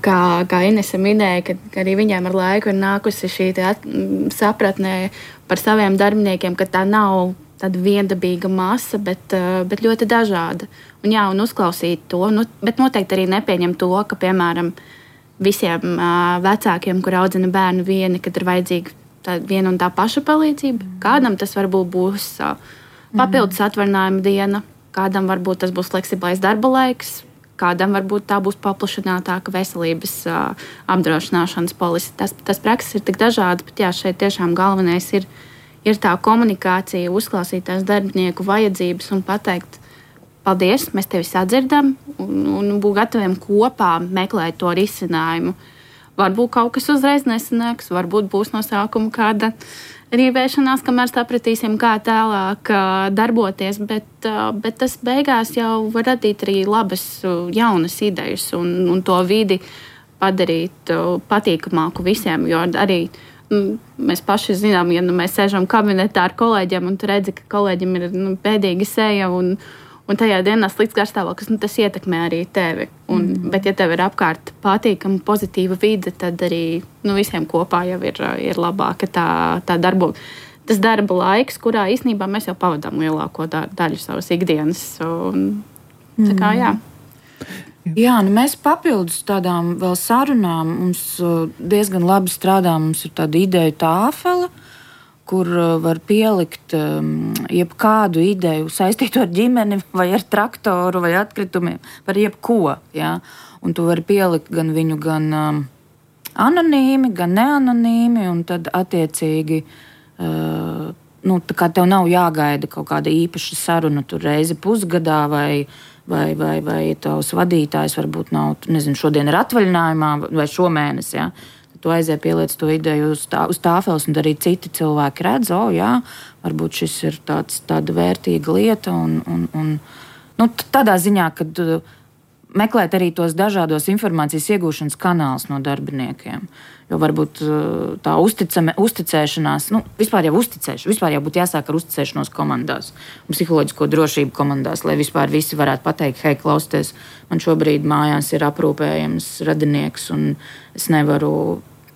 kā, kā Inese minēja, ka, ka arī viņiem ar laiku ir nākusi šī at, sapratnē par saviem darbiniekiem, ka tā nav tāda viendabīga masa, bet, bet ļoti dažāda. Un jā, un uzklausīt to, nu, bet noteikti arī nepieņem to, ka, piemēram, visiem uh, vecākiem, kur audzina bērnu vieni, kad ir vajadzīga tā viena un tā paša palīdzība. Kādam tas varbūt būs uh, papildus atvaļinājuma diena, kādam varbūt tas būs fleksiblais darba laiks, kādam varbūt tā būs paplašinātāka veselības uh, apdrošināšanas polise. Tas, tas prakses ir tik dažādas, bet jā, šeit tiešām galvenais ir, ir tā komunikācija, uzklausīt tās darbinieku vajadzības un pateikt, paldies, mēs tevi sadzirdam un, un būt gataviem kopā meklēt to risinājumu. Varbūt kaut kas uzreiz nesanāks, varbūt būs no sākuma kāda rīvēšanās, kamēr sapratīsim, kā tālāk darboties, bet, bet tas beigās jau var radīt arī labas jaunas idejas un, un to vidi padarīt patīkamāku visiem, jo arī mēs paši zinām, ja nu, mēs sēžam kabinetā ar kolēģiem un tu redzi, ka kolēģim ir nu, pēdīga seja un Un tajā dienā slikts garstāvoklis, nu, tas ietekmē arī tevi. Un, mm. Bet, ja tev ir apkārt patīkama, pozitīva vide, tad arī nu, visiem kopā jau ir, ir labāka tā, tā darba, tas darba laiks, kurā īstenībā mēs jau pavadām lielāko daļu savas ikdienas. Un, tā kā, jā. Jā, nu mēs papildus tādām vēl sarunām, mums diezgan labi strādā, mums ir tāda ideja tāfele, kur var pielikt um, jebkādu ideju saistītu ar ģimeni vai ar traktoru vai atkritumiem, par jebko. Ja? Un tu vari pielikt gan viņu gan um, anonīmi, gan neanonīmi, un tad attiecīgi uh, nu, tā kā tev nav jāgaida kaut kāda īpaša saruna tur reizi pusgadā vai, vai, vai, vai tavs vadītājs varbūt nav, nezinu, šodien ir atvaļinājumā vai šomēnes, ja? Tu aiziet pieliec to ideju uz, tā, uz tāfeles, un arī citi cilvēki redz, o, jā, varbūt šis ir tāds, tāda vērtīga lieta, un, un, un nu, tādā ziņā, kad meklēt arī tos dažādos informācijas iegūšanas kanālus no darbiniekiem. Jo varbūt tā uzticame, uzticēšanās, nu, vispār jau uzticēšanās, vispār jau būtu jāsāk ar uzticēšanos komandās un psiholoģisko drošību komandās, lai vispār visi varētu pateikt, hei, klausieties, man šobrīd mājās ir aprūpējams radinieks, un es nevaru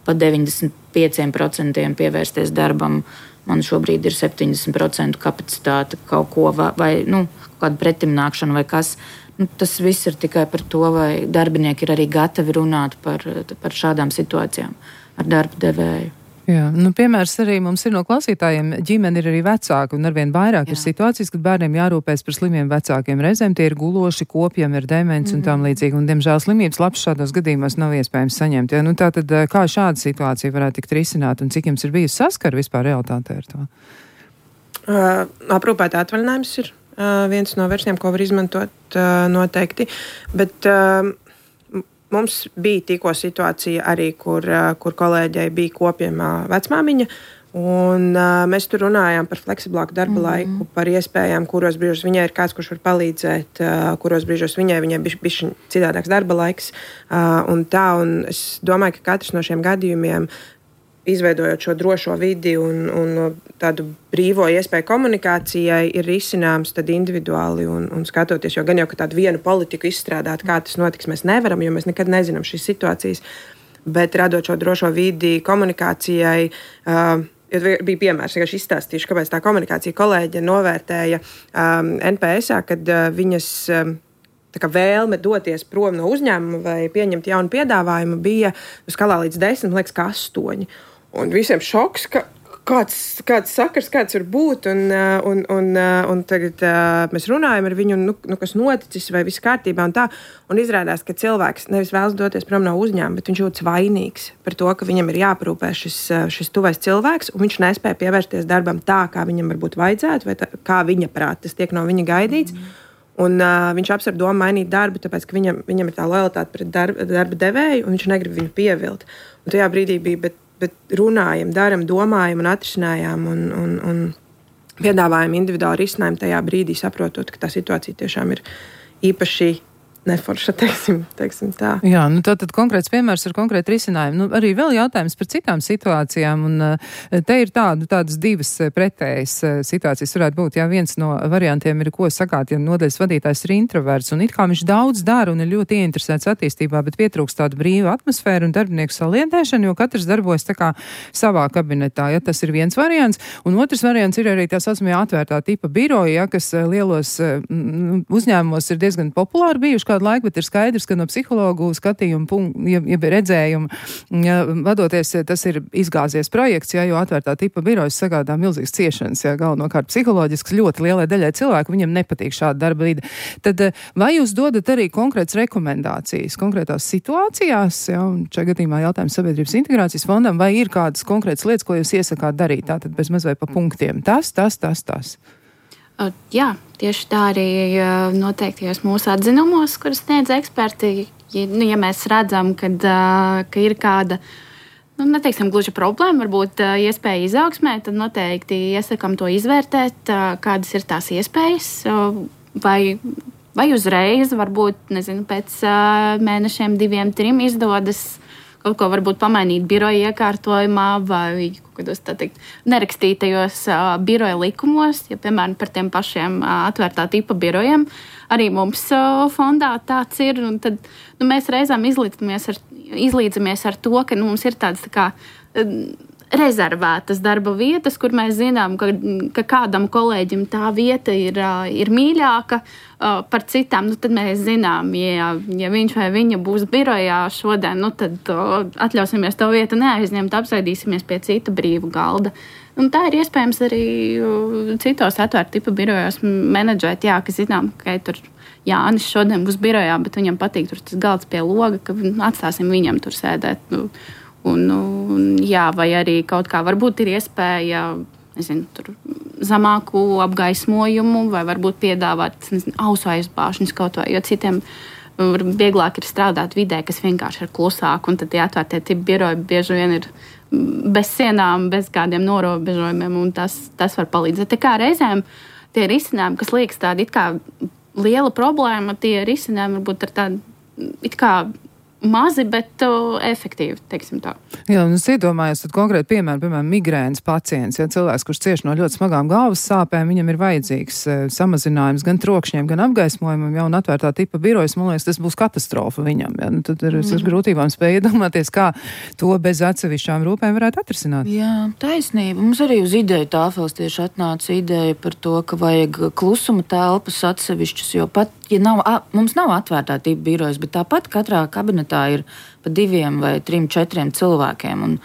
pa deviņdesmit pieciem procentiem pievērsties darbam, man šobrīd ir septiņdesmit procenti kapacitāte kaut ko vai, vai nu, kādu pretimnākšanu vai kas. Nu, tas viss ir tikai par to, vai darbinieki ir arī gatavi runāt par, par šādām situācijām ar darba devēju. Jā, nu, piemērs arī mums ir no klausītājiem, ģimene ir arī vecāki, un arvien vairāk Jā. Ir situācijas, kad bērniem jārūpēs par slimiem vecākiem. Reizēm tie ir guloši, kopiem ir demence mm. un tam līdzīgi, un, diemžēl, slimības labs šādos gadījumos nav iespējams saņemt. Ja? Nu, tātad, kā šāda situācija varētu tikt risināta, un cik jums ir bijusi saskara vispār realitātē ar to? Uh, aprūpēta atvaļinājums ir uh, viens no versijām, ko var izmantot uh, noteikti, bet uh, mums bija tikko situācija arī, kur, kur kolēģei bija kopjama vecmāmiņa, un uh, mēs tur runājām par fleksiblāku darba mm-hmm. laiku, par iespējām, kuros brīžos viņai ir kāds, kurš var palīdzēt, uh, kuros brīžos viņai, viņai bija bišķi citādāks darba laiks, uh, un tā, un es domāju, ka katrs no šiem gadījumiem, izveidojot šo drošo vidi un, un tādu brīvo iespēju komunikācijai, ir risināms tad individuāli un, un skatoties, jo gan jau, ka tādu vienu politiku izstrādāt, kā tas notiks, mēs nevaram, jo mēs nekad nezinām šīs situācijas, bet radot šo drošo vidi komunikācijai, uh, bija piemērs, vienkārši izstāstīšu, kāpēc tā komunikācija kolēģe novērtēja um, N P S-ā, kad uh, viņas um, tā kā vēlme doties prom no uzņēmuma vai pieņemt jaunu piedāvājumu bija uz skalā līdz desmit, liekas, ka astoņi. Un visiem šoks, ka kāds, kāds sakars, kāds var būt, un, un, un, un tagad mēs runājam ar viņu, nu, nu, kas noticis, vai viss kārtībā un tā, un izrādās, ka cilvēks nevis vēlas doties prom no uzņēmuma, bet viņš jūtas vainīgs par to, ka viņam ir jāprūpē šis, šis tuvais cilvēks, un viņš nespēja pievērsties darbam tā, kā viņam varbūt vajadzētu, vai tā, kā viņa prāt, tas tiek no viņa gaidīts, mm. un uh, viņš apsver domu mainīt darbu, tāpēc, ka viņam, viņam ir tā lojalitāte pret darba, darba devēju, un viņš negrib viņu pievilt. Un tajā brīdī bija, bet bet runājam, daram, domājam un atrisinājām un, un, un piedāvājam individuālu risinājumu tajā brīdī, saprotot, ka tā situācija tiešām ir īpaši neforša, teiksim, teiksim tā. Jā, nu tā tad konkrēts piemērs ar konkrētu risinājumu. Nu, arī vēl jautājums par citām situācijām, un te ir tādu, tādas divas pretējas situācijas varētu būt. Jā, viens no variantiem ir, ko sakāt, ja nodaļas vadītājs ir introverts, un it kā viņš daudz dara un ir ļoti ieinteresēts attīstībā, bet pietrūkst tādu brīvu atmosfēru un darbinieku saliedēšanu, jo katrs darbojas tā kā savā kabinetā. Ja, tas ir viens variants, un otrs variants ir arī tā saucamie atvērtā tipa biroja, ja, kas lielos m, uzņēmumos ir diezgan populāri bijuši kādu laiku, bet ir skaidrs, ka no psihologu skatījuma, ja, ja redzējuma, ja, vadoties, tas ir izgāzies projekts, ja, jo atvērtā tipa birojas sagādā milzīgas ciešanas, ja, galvenokārt psiholoģisks ļoti lielai daļai cilvēku, viņam nepatīk šāda darba vide. Tad vai jūs dodat arī konkrētas rekomendācijas konkrētās situācijās, ja, un šajā gadījumā jautājums Sabiedrības integrācijas fondam, vai ir kādas konkrētas lietas, ko jūs iesakāt darīt, tātad bez maz vai pa punktiem? Tas, tas, tas, tas. Jā, tieši tā arī noteiktajos mūsu atzinumos, kuras sniedz eksperti. Ja, nu, ja mēs redzam, kad, ka ir kāda, nu, neteiksim, gluži problēma, varbūt iespēja izaugsmē, tad noteikti iesakam to izvērtēt, kādas ir tās iespējas, vai, vai uzreiz, varbūt, nezinu, pēc mēnešiem, diviem, trim izdodas kaut ko varbūt pamainīt biroja iekārtojumā vai kaut kādos, tā teikt, nerakstītajos uh, biroja likumos, ja, piemēram, par tiem pašiem uh, atvērtā tipa birojiem. Arī mums uh, fondā tāds ir, un tad nu, mēs reizēm izlīdzamies ar, izlīdzamies ar to, ka nu, mums ir tāds tā kā uh, rezervētas darba vietas, kur mēs zinām, ka, ka kādam kolēģim tā vieta ir, uh, ir mīļāka uh, par citām. Nu, tad mēs zinām, ja, ja viņš vai viņa būs birojā šodien, nu, tad uh, atļausimies to vietu neaizņemt, apsēdīsimies pie cita brīva galda. Un tā ir iespējams arī uh, citos atvērta tipa birojos menedžēt, jā, ka zinām, ka tur Jānis šodien būs birojā, bet viņam patīk tur tas galds pie loga, ka atstāsim viņam tur sēdēt. Nu, Un, un, jā, vai arī kaut kā varbūt ir iespēja nezinu, tur zemāku apgaismojumu vai varbūt piedāvāt nezinu, ausu aizbāžņus kaut vai, jo citiem vieglāk ir strādāt vidē, kas vienkārši ir klusāk, un tad tie atvērtie tipi biroji bieži vien ir bez sienām, bez kādiem norobežojumiem, un tas, tas var palīdzēt. Tā kā reizēm tie risinājumi, kas liekas tādi it kā liela problēma, tie risinājumi varbūt ir tādi it kā mazi, bet uh, efektīvi, teiksim tā. Jā, un es iedomājos, tad konkrēti piemēram, piemēram, migrēnas pacients, ja cilvēks, kurš cieš no ļoti smagām galvas sāpēm, viņam ir vajadzīgs uh, samazinājums gan trokšņiem, gan apgaismojumam, ja, un atvērtā tipa birojas, man liekas, tas būs katastrofa viņam, ja, nu, tad ir mm. ar grūtībām spēja iedomāties, kā to bez atsevišķām rūpēm varētu atrisināt. Jā, taisnība. Mums arī uz ideju tāfels tieši atnāca ideja par to, ka vajag klusuma telpas atsevišķus, jo pat, ja nav, mums nav atvērtā tipa birojas, bet tāpat katrā kabinetā ir pa diviem vai trim, četriem cilvēkiem. Un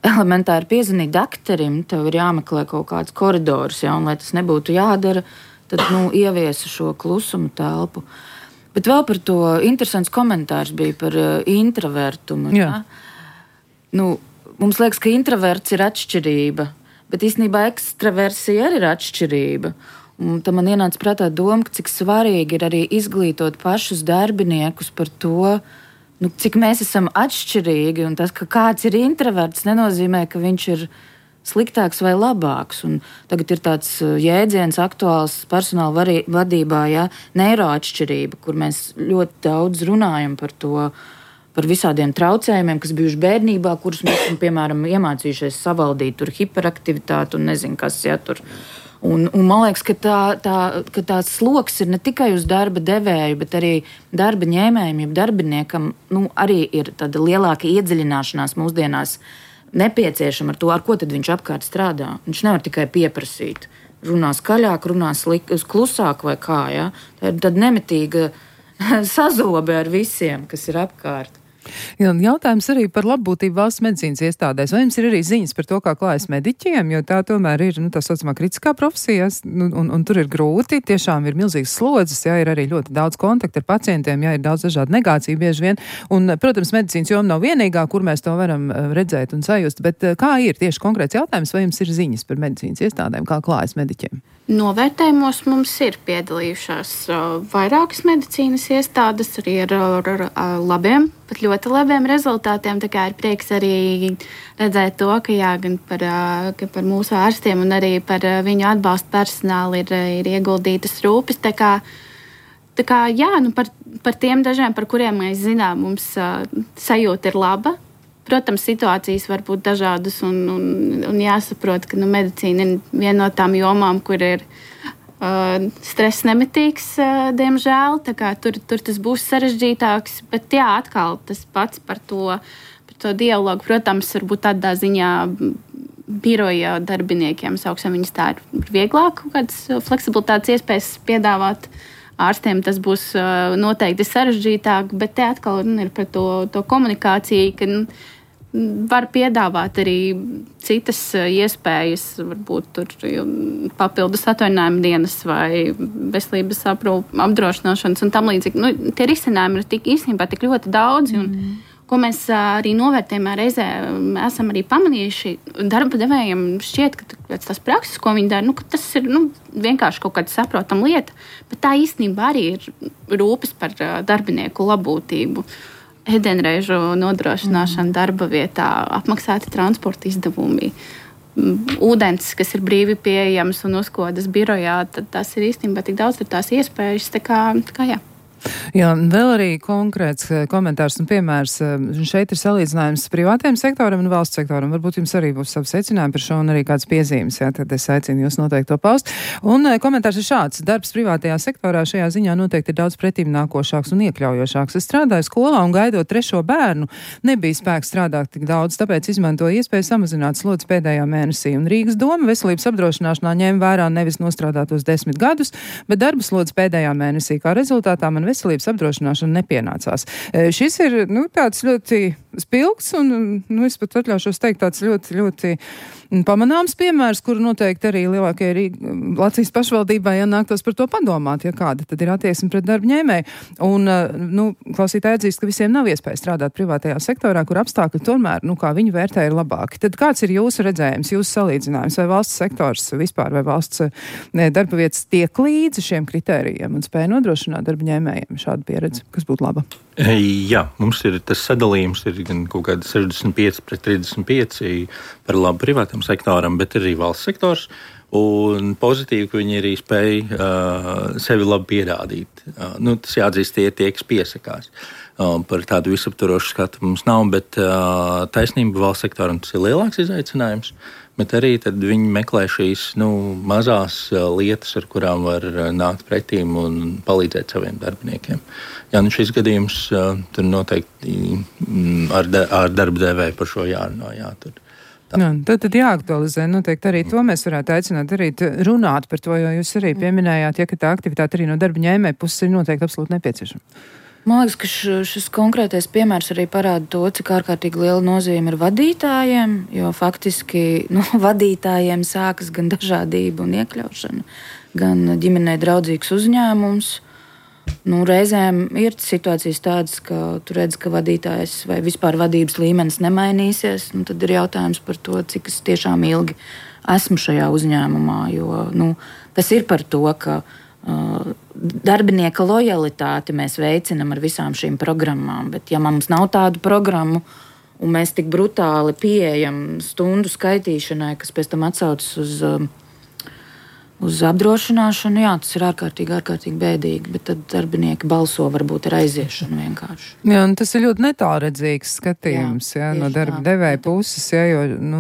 elementāri piezvanīt dakterim, tev ir jāmeklē kaut kāds koridors, ja, un lai tas nebūtu jādara, tad, nu, ieviesa šo klusuma telpu. Bet vēl par to interesants komentārs bija par uh, introvertumu. Ja? Nu, mums liekas, ka introverts ir atšķirība, bet īstenībā ekstraversija arī ir atšķirība. Un tam man ienāca prātā doma, ka cik svarīgi ir arī izglītot pašus darbiniekus par to, nu, cik mēs esam atšķirīgi, un tas, ka kāds ir introverts, nenozīmē, ka viņš ir sliktāks vai labāks. Un tagad ir tāds jēdziens aktuāls personāla vadībā, ja, neiroatšķirība, kur mēs ļoti daudz runājam par to, par visādiem traucējumiem, kas bijuši bērnībā, kurus mēs esam, piemēram, iemācījušies savaldīt, tur hiperaktivitāti un nezinu, kas, ja, tur. Un, un man liekas, ka, tā, tā, ka tās sloks ir ne tikai uz darba devēju, bet arī darba ņēmējiem, jeb darbiniekam, nu, arī ir tāda lielāka iedziļināšanās mūsdienās nepieciešama ar to, ar ko tad viņš apkārt strādā. Viņš nevar tikai pieprasīt. Runā skaļāk, runā slik, klusāk vai kā, ja? Tā ir tāda nemitīga sazobe ar visiem, kas ir apkārt. Jā, jautājums arī par labbūtību valsts medicīnas iestādēs. Vai jums ir arī ziņas par to, kā klājas mediķiem, jo tā tomēr ir, nu, tā saucamā kritiskā profesija, un, un, un tur ir grūti, tiešām ir milzīgas slodzes, jā, ir arī ļoti daudz kontaktu ar pacientiem, jā, ir daudz dažādu negāciju bieži vien, un, protams, medicīnas joma nav vienīgā, kur mēs to varam redzēt un sajust, bet kā ir tieši konkrēts jautājums, vai jums ir ziņas par medicīnas iestādēm, kā klājas mediķiem? Novērtējumos mums ir piedalījušās uh, vairākas medicīnas iestādes arī ar, ar, ar, ar labiem, pat ļoti labiem rezultātiem. Tā kā ir prieks arī redzēt to, ka jā, gan par, uh, ka par mūsu ārstiem un arī par uh, viņu atbalstu personālu ir, ir ieguldītas rūpes. Tā kā, tā kā jā, nu par, par tiem dažiem, par kuriem mēs zinām, mums uh, sajūta ir laba. Protams, situācijas var būt dažādas un, un, un jāsaprot, ka nu, medicīna ir viena no tām jomām, kur ir uh, stress nemitīgs, uh, diemžēl. Tā kā tur, tur tas būs sarežģītāks, bet jā, atkal tas pats par to, par to dialogu. Protams, varbūt tādā ziņā biroja darbiniekiem, sauksim viņus tā, ir vieglāk kaut kādas fleksibilitātes iespējas piedāvāt. Ārstiem tas būs uh, noteikti sarežģītāk, bet te atkal nu, ir par to, to komunikāciju, ka nu, var piedāvāt arī citas iespējas, varbūt tur papildus atvaļinājuma dienas vai veselības aprūp, apdrošināšanas un tam līdzīgi. Nu, tie risinājumi ir tik, īstenībā tik ļoti daudzi, un mm. ko mēs arī novērtējumā reizē esam arī pamanījuši. Darba devējiem šķiet, ka pēc tās prakses, ko viņi dara, nu, ka tas ir nu, vienkārši kaut kāda saprotama lieta, bet tā īstenībā arī ir rūpes par darbinieku labbūtību. Ēdienreižu nodrošināšana darba vietā, apmaksāti transporta izdevumi, ūdens, kas ir brīvi pieejams un uzkodas birojā, tad tas ir īstenībā tik daudz ir tās iespējas, tā kā, tā kā jā. Jā, vēl arī konkrēts komentārs un piemērs. Šeit ir salīdzinājums privātiem sektoram un valsts sektoram. Varbūt jums arī būs savi secinājumi par šo un arī kāds piezīmes, jā, tad es aicinu jūs noteikti to paust. Un komentārs ir šāds. Darbs privātajā sektorā šajā ziņā noteikti ir daudz pretīm nākošāks un iekļaujošāks. Es strādāju skolā un gaidot trešo bērnu, nebija spēks strādāt tik daudz, tāpēc izmantoju iespēju samazināt slodzes pēdējā mēnesī. Un Rīgas doma veselības apdrošināšanā ņēma vērā nevis nostrādātos desmit gadus, bet darba slodzes pēdējā mēnesī. Kā rezultātā man veselības apdrošināšana nepienācās. Šis ir, nu, tāds ļoti spilgts un, nu, es pat atļaušos teikt, tāds ļoti, ļoti pamanāms piemērs, kuru noteikti arī lielākajai Latvijas pašvaldībai jānāktos par to padomāt, ja kāda tad ir attieksme pret darba ņēmēju. Un, nu, klausītāji atzīst, ka visiem nav iespēja strādāt privātajā sektorā, kur apstākļi tomēr, nu, kā viņi vērtē, ir labāki. Tad kāds ir jūsu redzējums, jūsu salīdzinājums, vai valsts sektors vispār, vai valsts ne, darba vietas tiek līdzi šiem kritērijiem un spēja nodrošināt darba ņēmējiem šādu pieredzi, kas būtu laba? Jā, mums ir tas sadalījums, ir gan kaut kāda sešdesmit pieci pret trīsdesmit pieci par labu privātam sektoram, bet arī valsts sektors. Un pozitīvi, ka viņi arī spēja uh, sevi labi pierādīt. Uh, nu, tas jāatzīst, tie ir tie, kas piesakās. Uh, par tādu visaptvarošu skatu mums nav, bet uh, taisnība valsts sektoram tas ir lielāks izaicinājums. Bet arī tad viņi meklē šīs nu, mazās uh, lietas, ar kurām var uh, nākt pretīm un palīdzēt saviem darbiniekiem. Jā, nu šis gadījums uh, tur noteikti mm, ar, de, ar darba devēju par šo jārunā. Jā, tur. Jā, tad, tad jāaktualizē. Noteikti arī to mēs varētu aicināt darīt, runāt par to, jo jūs arī pieminējāt, ja, ka tā aktivitāte arī no darba ņēmēja puses ir noteikti absolūti nepieciešama. Man liekas, ka šis konkrētais piemērs arī parāda to, cik ārkārtīgi liela nozīme ir vadītājiem, jo faktiski no nu, vadītājiem sākas gan dažādība un iekļaušana, gan ģimenei draudzīgs uzņēmums. Nu, reizēm ir situācijas tādas, ka tu redz, ka vadītājs vai vispār vadības līmenis nemainīsies. Nu, tad ir jautājums par to, cik es tiešām ilgi esmu šajā uzņēmumā. Jo, nu, tas ir par to, ka uh, darbinieka lojalitāti mēs veicinam ar visām šīm programmām. Bet ja mums nav tādu programmu un mēs tik brutāli pieejam stundu skaitīšanai, kas pēc tam atsaucas uz... Uh, Uz apdrošināšanu, jā, tas ir ārkārtīgi, ārkārtīgi bēdīgi, bet tad darbinieki balso varbūt ar aiziešanu vienkārši. Jā, un tas ir ļoti netālredzīgs skatījums, jā, jā no darba tā, devēja puses, jā, jo, nu,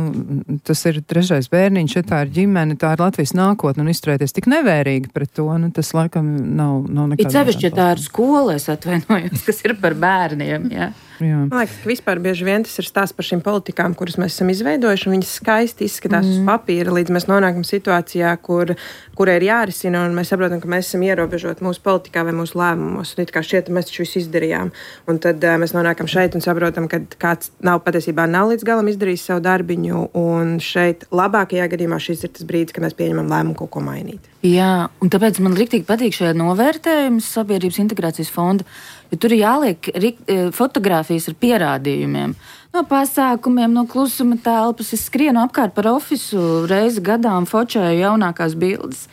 tas ir trešais bērniņš, ja tā ir ģimene, tā ir Latvijas nākotne, un izturēties tik nevērīgi pret to, nu, tas laikam nav, nav nekādā. Ir sevišķi, ja tā ir skola, es atvainojos, kas ir par bērniem, jā. Jā. Man liekas, ka vispār bieži vien tas ir stāsts par šīm politikām, kuras mēs esam izveidojuši, un viņas skaisti izskatās mm. uz papīra, līdz mēs nonākam situācijā, kur, kura ir jārisina, un mēs saprotam, ka mēs esam ierobežoti mūsu politikā vai mūsu lēmumos, un it kā šķiet, mēs taču visu izdarījām. Un tad uh, mēs nonākam šeit un saprotam, ka kāds nav patiesībā nav līdz galam izdarījis savu darbiņu, un šeit labākajā gadījumā šis ir tas brīdis, kad mēs pieņemam lēmumu kaut ko mainīt. Jā, un tāpēc man riktīgi patīk šajā novērtējuma sabiedrības integrācijas fonda, jo tur ir jāliek rikt, fotogrāfijas ar pierādījumiem. No pasākumiem, no klusuma telpas. Es skrienu apkārt par ofisu reizi gadā un fočēju jaunākās bildes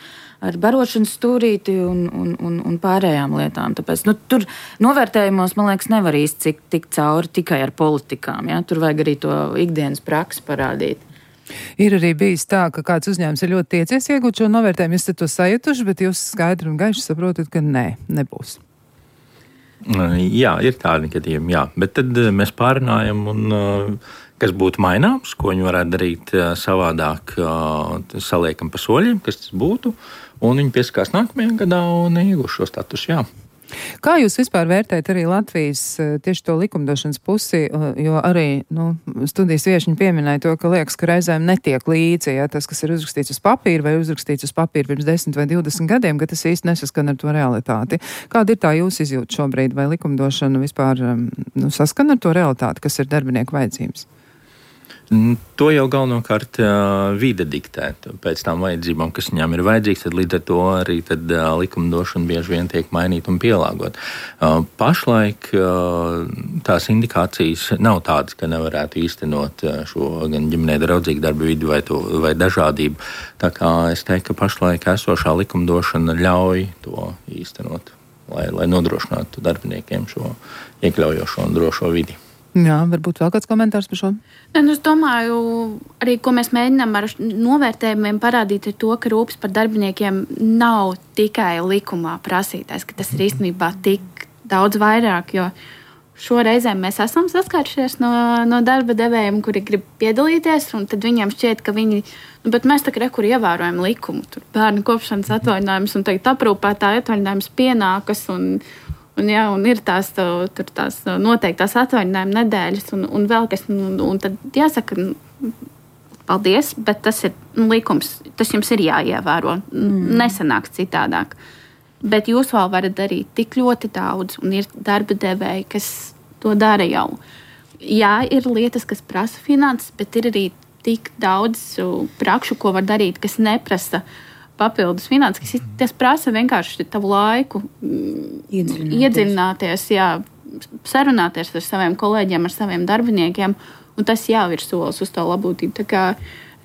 ar barošanas stūrīti un, un, un, un pārējām lietām. Tāpēc nu, tur novērtējumos, man liekas, nevar īsti tikt cauri tikai ar politikām. Ja? Tur vajag arī to ikdienas praksi parādīt. Ir arī bijis tā, ka kāds uzņēmums ir ļoti tiecies iegūt šo novērtējumu, jūs to sajutuši, bet jūs skaidri un gaiši saprotat, ka nē, nebūs. Jā, ir tādi gadījumi, jā. Bet tad mēs pārunājam, un, kas būtu maināms, ko viņi varētu darīt savādāk, saliekam pa soļiem, kas tas būtu, un viņi pieskās nākamajā gadā un iegūs šo statusu, jā. Kā jūs vispār vērtējat arī Latvijas tieši to likumdošanas pusi, jo arī nu, studijas viešņi pieminēja to, ka liekas, ka reizēm netiek līdzi, ja tas, kas ir uzrakstīts uz papīra vai uzrakstīts uz papīra pirms desmit vai divdesmit gadiem, ka tas īsti nesaskan ar to realitāti. Kāda ir tā jūsu izjūta šobrīd, vai likumdošana vispār nu, saskan ar to realitāti, kas ir darbinieku vajadzības? To jau galvenokārt uh, vide diktē pēc tām vajadzībām, kas viņām ir vajadzīgs, tad līdz ar to arī tad, uh, likumdošana bieži vien tiek mainīta un pielāgot. Uh, pašlaik uh, tās indikācijas nav tādas, ka nevarētu īstenot uh, šo gan ģimenē draudzīgu darba vidi vai, to, vai dažādību. Tā kā es teiktu, ka pašlaik esošā likumdošana ļauj to īstenot, lai, lai nodrošinātu darbiniekiem šo iekļaujošo un drošo vidi. Jā, varbūt vēl kāds komentārs par šo? Ne, nu, es domāju, arī ko mēs mēģinām ar novērtējumiem parādīt, ir to, ka rūpes par darbiniekiem nav tikai likumā prasītais, ka tas ir īstenībā tik daudz vairāk, jo šoreizēm mēs esam saskārušies no, no darba devējiem, kuri grib piedalīties, un tad viņiem šķiet, ka viņi, nu, bet mēs tā kā rekur ievērojam likumu, tur bērnu kopšanas atvaļinājums un tagad aprūpētāja atvaļinājums pienākas un Un, jā, un ir tās, tur tās noteiktās atvaļinājuma nedēļas, un, un vēl kas, un, un tad jāsaka, paldies, bet tas ir likums, tas jums ir jāievēro, mm. nesanāks citādāk. Bet jūs vēl varat darīt tik ļoti daudz, un ir darba devēji, kas to dara jau. Jā, ir lietas, kas prasa finanses, bet ir arī tik daudz prakšu, ko var darīt, kas neprasa papildus finanses, tas prasa vienkārši tavu laiku iedziļināties, iedziļināties jā, sarunāties ar saviem kolēģiem, ar saviem darbiniekiem, un tas jau ir solis uz to labūtību. Tā kā,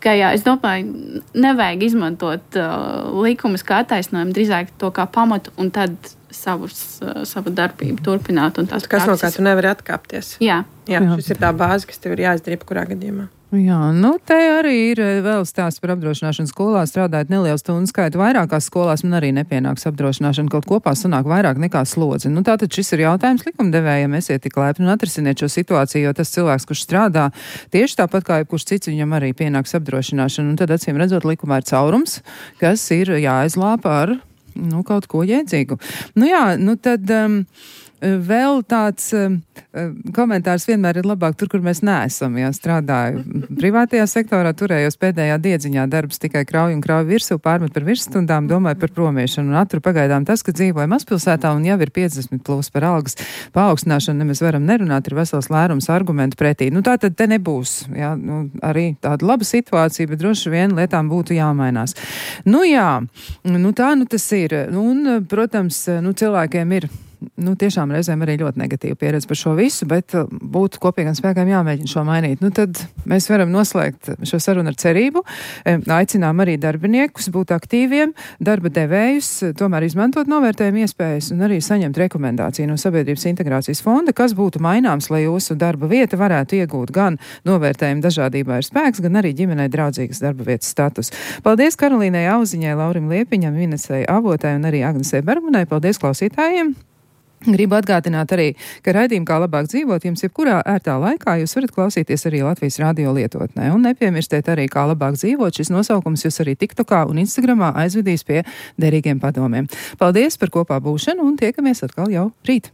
kā jā, es domāju, nevajag izmantot uh, likumus kā attaisnojumu, drīzāk to kā pamatu, un tad savus, uh, savu darbību turpināt. Un tās kas prakses... no kā tu nevari atkāpties. Jā. Jā, šis ir tā bāze, kas tev ir jāizdara jebkurā gadījumā. Jā, nu te arī ir vēl stāsts par apdrošināšanu skolā. Strādājot nelielu stundu skaitu vairākās skolās, man arī nepienāks apdrošināšana. Kaut kopā sanāk vairāk nekā slodzi. Nu tātad šis ir jautājums likumdevējiem. Esiet tik laipni un atrisiniet šo situāciju, jo tas cilvēks, kurš strādā tieši tāpat kā jebkurš cits, viņam arī pienāks apdrošināšana. Un tad acīm redzot, likumā ir caurums, kas ir jāizlāpa ar nu, kaut ko jēdzīgu. Nu jā, nu tad... Um, Vēl tāds um, komentārs vienmēr ir labāk tur, kur mēs neesam. Jā, strādāju privātajā sektorā, turējos pēdējā diedziņā, darbs tikai krauj un krauj virsū, pārmet par virsstundām, domāju par promiešanu. Un attur pagaidām tas, ka dzīvoju mazpilsētā un jau ir piecdesmit plus par algas paaugstināšanu, nemaz varam nerunāt, ir vesels lērums argumentu pretī. Nu tā tad te nebūs, jā, nu, arī tāda laba situācija, bet droši vien lietām būtu jāmainās. Nu jā, nu tā nu tas ir. Nu, un, protams, nu cilvēkiem ir nu, tiešām reizēm arī ļoti negatīva pieredze par šo visu, bet būtu kopīgiem spēkiem jāmēģina šo mainīt. Nu, tad mēs varam noslēgt šo sarunu ar cerību. Aicinām arī darbiniekus būt aktīviem, darba devējus, tomēr izmantot novērtējumu iespējas un arī saņemt rekomendāciju no Sabiedrības integrācijas fonda, kas būtu maināms, lai jūsu darba vieta varētu iegūt gan novērtējumu dažādībā ir spēks, gan arī ģimenei draudzīgas darba vietas status. Paldies Karolīnai Auziņai, Laurim Liepiņam, Inesei Avotai un arī Agnesei Bergmanai. Paldies klausītājiem! Gribu atgādināt arī, ka raidījumu Kā labāk dzīvot jums jebkurā ērtā laikā jūs varat klausīties arī Latvijas radio lietotnē. Un nepiemirstiet arī Kā labāk dzīvot. Šis nosaukums jūs arī TikTokā un Instagramā aizvedīs pie derīgiem padomiem. Paldies par kopā būšanu un tiekamies atkal jau rīt!